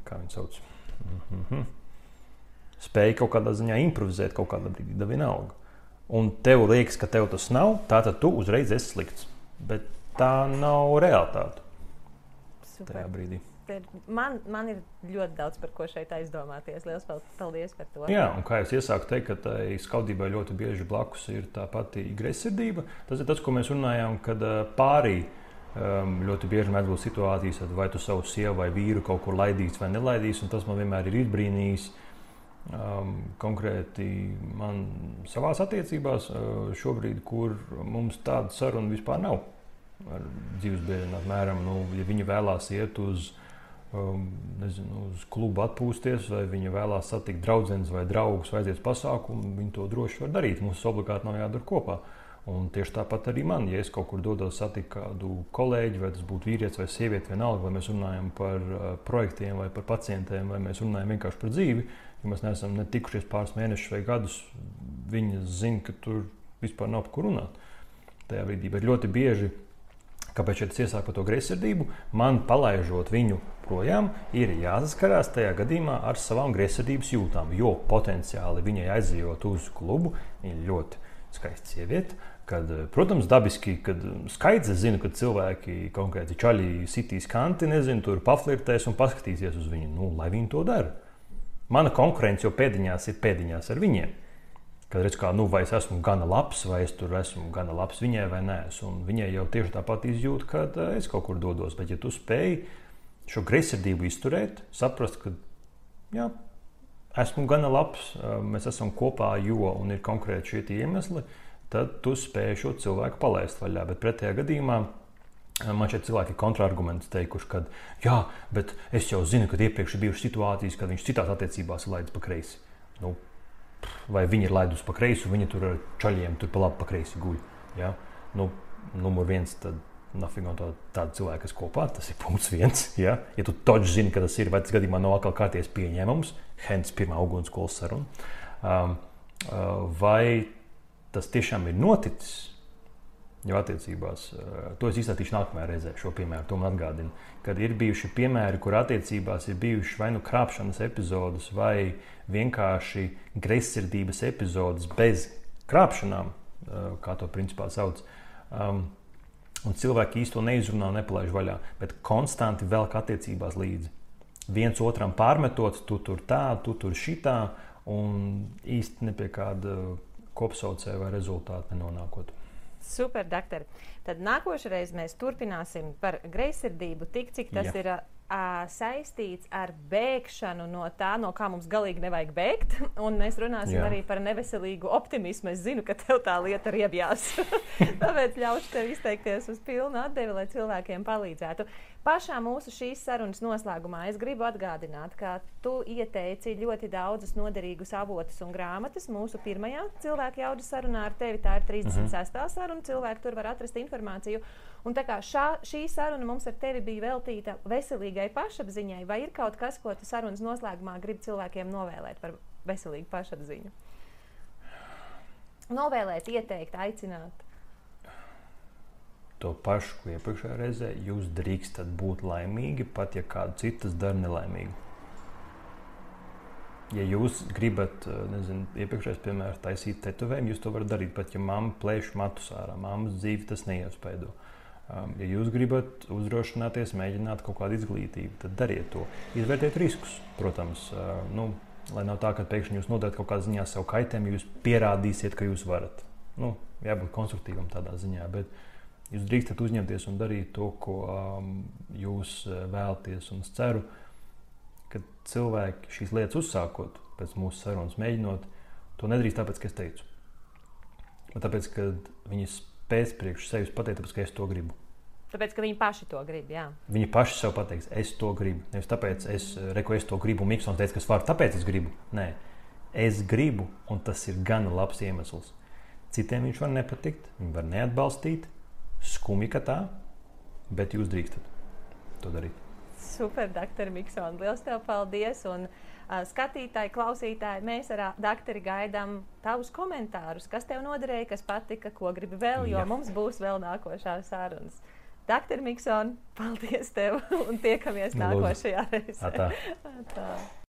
kā viņi sauc, mm-hmm. spēja kaut kādā ziņā improvizēt kaut kādā brīdī, da vienalga. Un tev liekas, ka tev tas nav, tātad tu uzreiz esi slikts. Bet tā nav realitāte. Super. Tajā brīdī. Man, man ir ļoti daudz par ko šeit aizdomāties. Liels paldies par to. Jā, un kā es iesāku teikt, ka tai skaudībai ļoti bieži blakus ir tā pati greizsirdība. Tas ir tas, ko mēs runājām, kad pārī um, ļoti bieži mēdz būt situācijas, vai tu savu sievu vai vīru kaut kur laidīs vai nelaidīs, un tas man vienmēr ir izbrīnījis. Um, konkrēti man savās attiecībās uh, šobrīd, kur mums tāda saruna vispār nav ar dzīvesbiedriem, apmēram, nu, ja viņi vēlās iet uz, um, nezinu, uz klubu atpūsties, vai viņi vēlās satikt draudzenes vai draugus vai aiziet pasākumu, viņi to droši var darīt. Mums obligāti nav jādara kopā. Un tieši tāpat arī man, ja es kaut kur dodos satikt kādu kolēģi, vai tas būtu vīrietis vai sieviete, vienalga, vai mēs runājam par uh, projektiem vai par pacientiem, vai mēs runājam vienkārši par dzīvi, ja mēs neesam ne tikušies pāris mēnešus vai gadus, viņi zina, ka tur vispār nav par ko runāt tajā brīdī. Bet ļoti bieži, kāpēc šeit es iesāku par to greizsirdību, man palaižot viņu projām, ir jāsaskarās tajā gadījumā ar savām greizsirdības jūtām, jo potenciāli viņai aizejot uz klubu, viņa ļoti skaista sieviete, kad, protams, dabiski, kad skaidrs, es zinu, ka cilvēki konkrēti čaļi sitīs kanti, nezinu, tur paflirtēs un paskatīsies uz viņu, nu, lai viņi to dara. Mana konkurence jau pēdiņās ir pēdiņās ar viņiem. Kad redz, kā, nu, vai es esmu gana labs, vai es tur esmu gana labs viņai vai nē. Un viņai jau tieši tāpat izjūt, kad es kaut kur dodos. Bet ja tu spēj šo greizsirdību izturēt, saprast, ka, jā, esmu gana labs, mēs esam kopā, jo un ir konkrēti šie iemesli, tad tu spēj šo cilvēku palaist vaļā. Bet pretējā gadījumā man šeit cilvēki ir kontraargumenti teikuši, ka jā, bet es jau zinu, ka iepriekš ir bijušas situācijas, kad viņš citās attiecībās ir laidis pa kreisi. Nu, vai viņi ir laidus pa kreisi, un viņi tur ar čaļiem tur pa labi pa kreisi guļ. Ja? Nu, numur viens, tad nafig no tāda cilvēka, kas kopā, tas ir punkts viens. Ja, ja tu toģi zini, ka tas ir, vai tas gadījumā nav atkal kārties pieņēmums, hence pirmā ugunskolas saruna, um, uh, vai tas tiešām ir noticis, jau attiecībās, uh, to es izstātīšu nākamajā reizē, šo piemēru, to man atgādina, kad ir bijuši piemēri, kur attiecībās ir bijuši vai nu krāpšanas epizodes, vai vienkārši greizsirdības epizodes bez krāpšanām, uh, kā to principā sauc, um, un cilvēki īsti to neizrunā un nepalaiž vaļā, bet konstanti velk attiecībās līdzi. Viens otram pārmetot, tu tur tā, tu tur šitā, un īsti ne pie kāda kopsaucēja vai rezultāta nenonākot. Super, doktor. Tad nākošais mēs turpināsim par greizsirdību, tik cik tas Jā. ir uh, saistīts ar bēgšanu no tā, no kā mums galīgi nevajag bēgt. Un mēs runāsim Jā. arī par neveselīgu optimismu. Es zinu, ka tev tā lieta riebjās. Tāpēc ļaušu tev izteikties uz pilnu atdevi, lai cilvēkiem palīdzētu. Pašā mūsu šīs sarunas noslēgumā es gribu atgādināt, ka tu ieteici ļoti daudzus noderīgus avotus un grāmatas mūsu pirmajā cilvēku jaudas sarunā ar tevi. Tā ir trīsdesmit sestā saruna. Cilvēki tur var atrast informāciju. Un tā kā šā, šī saruna mums ar tevi bija veltīta veselīgai pašapziņai, vai ir kaut kas, ko tu sarunas noslēgumā gribi cilvēkiem novēlēt par veselīgu pašapziņu? Novēlēt, ieteikt, aicināt. To pašu, ko iepriekšējā reizē, jūs drīkstat būt laimīgi, pat ja kādu citas dara nelaimīgu. Ja jūs gribat, nezinu, iepriekšējais piemērs taisīt tetovējumu, jūs to varat darīt, pat ja mamma plēš matus ārā, mammas dzīvi tas neiespaido. Um, ja jūs gribat uzdrošināties, mēģināt kaut kādu izglītību, tad dariet to. Izvērtiet riskus, protams, uh, nu, lai nav tā, ka pēkšņi jūs nodarat kaut kādā ziņā sev kaitējumu, jūs pierādīsiet, ka jūs varat. Nu, jābūt konstruktīvam tādā ziņā, bet jūs drīkstat uzņemties un darīt to, ko um, jūs vēlaties. Un es ceru, ka cilvēki šīs lietas uzsākot, pēc mūsu sarunas mēģinot, to nedarīs tāpēc, ka es teicu. Bet tāpēc, ka viņi spēs priekš sevis pateikt, tāpēc, ka es to gribu. Tāpēc, ka viņi paši to grib, jā. Viņi paši sev pateiks, es to gribu. Nevis tāpēc, es, reku, es to gribu, un Miksons teica, ka es varu, tāpēc es gribu. Nē, es gribu, un tas ir gana labs iemesls. Citiem viņš var nepatikt, viņi var neatbalstīt, skumji, ka tā, bet jūs drīkstat to darīt. Super, doktor Miksons, liels tev paldies. Un uh, skatītāji, klausītāji, mēs ar doktori gaidām tavus komentārus, kas tev noderēja, kas patika, ko gribi vēl, jo Jā. mums būs vēl nākošās sarunas. doktor Mikson, paldies tev un tiekamies nākošajā reizē. Atā. Atā.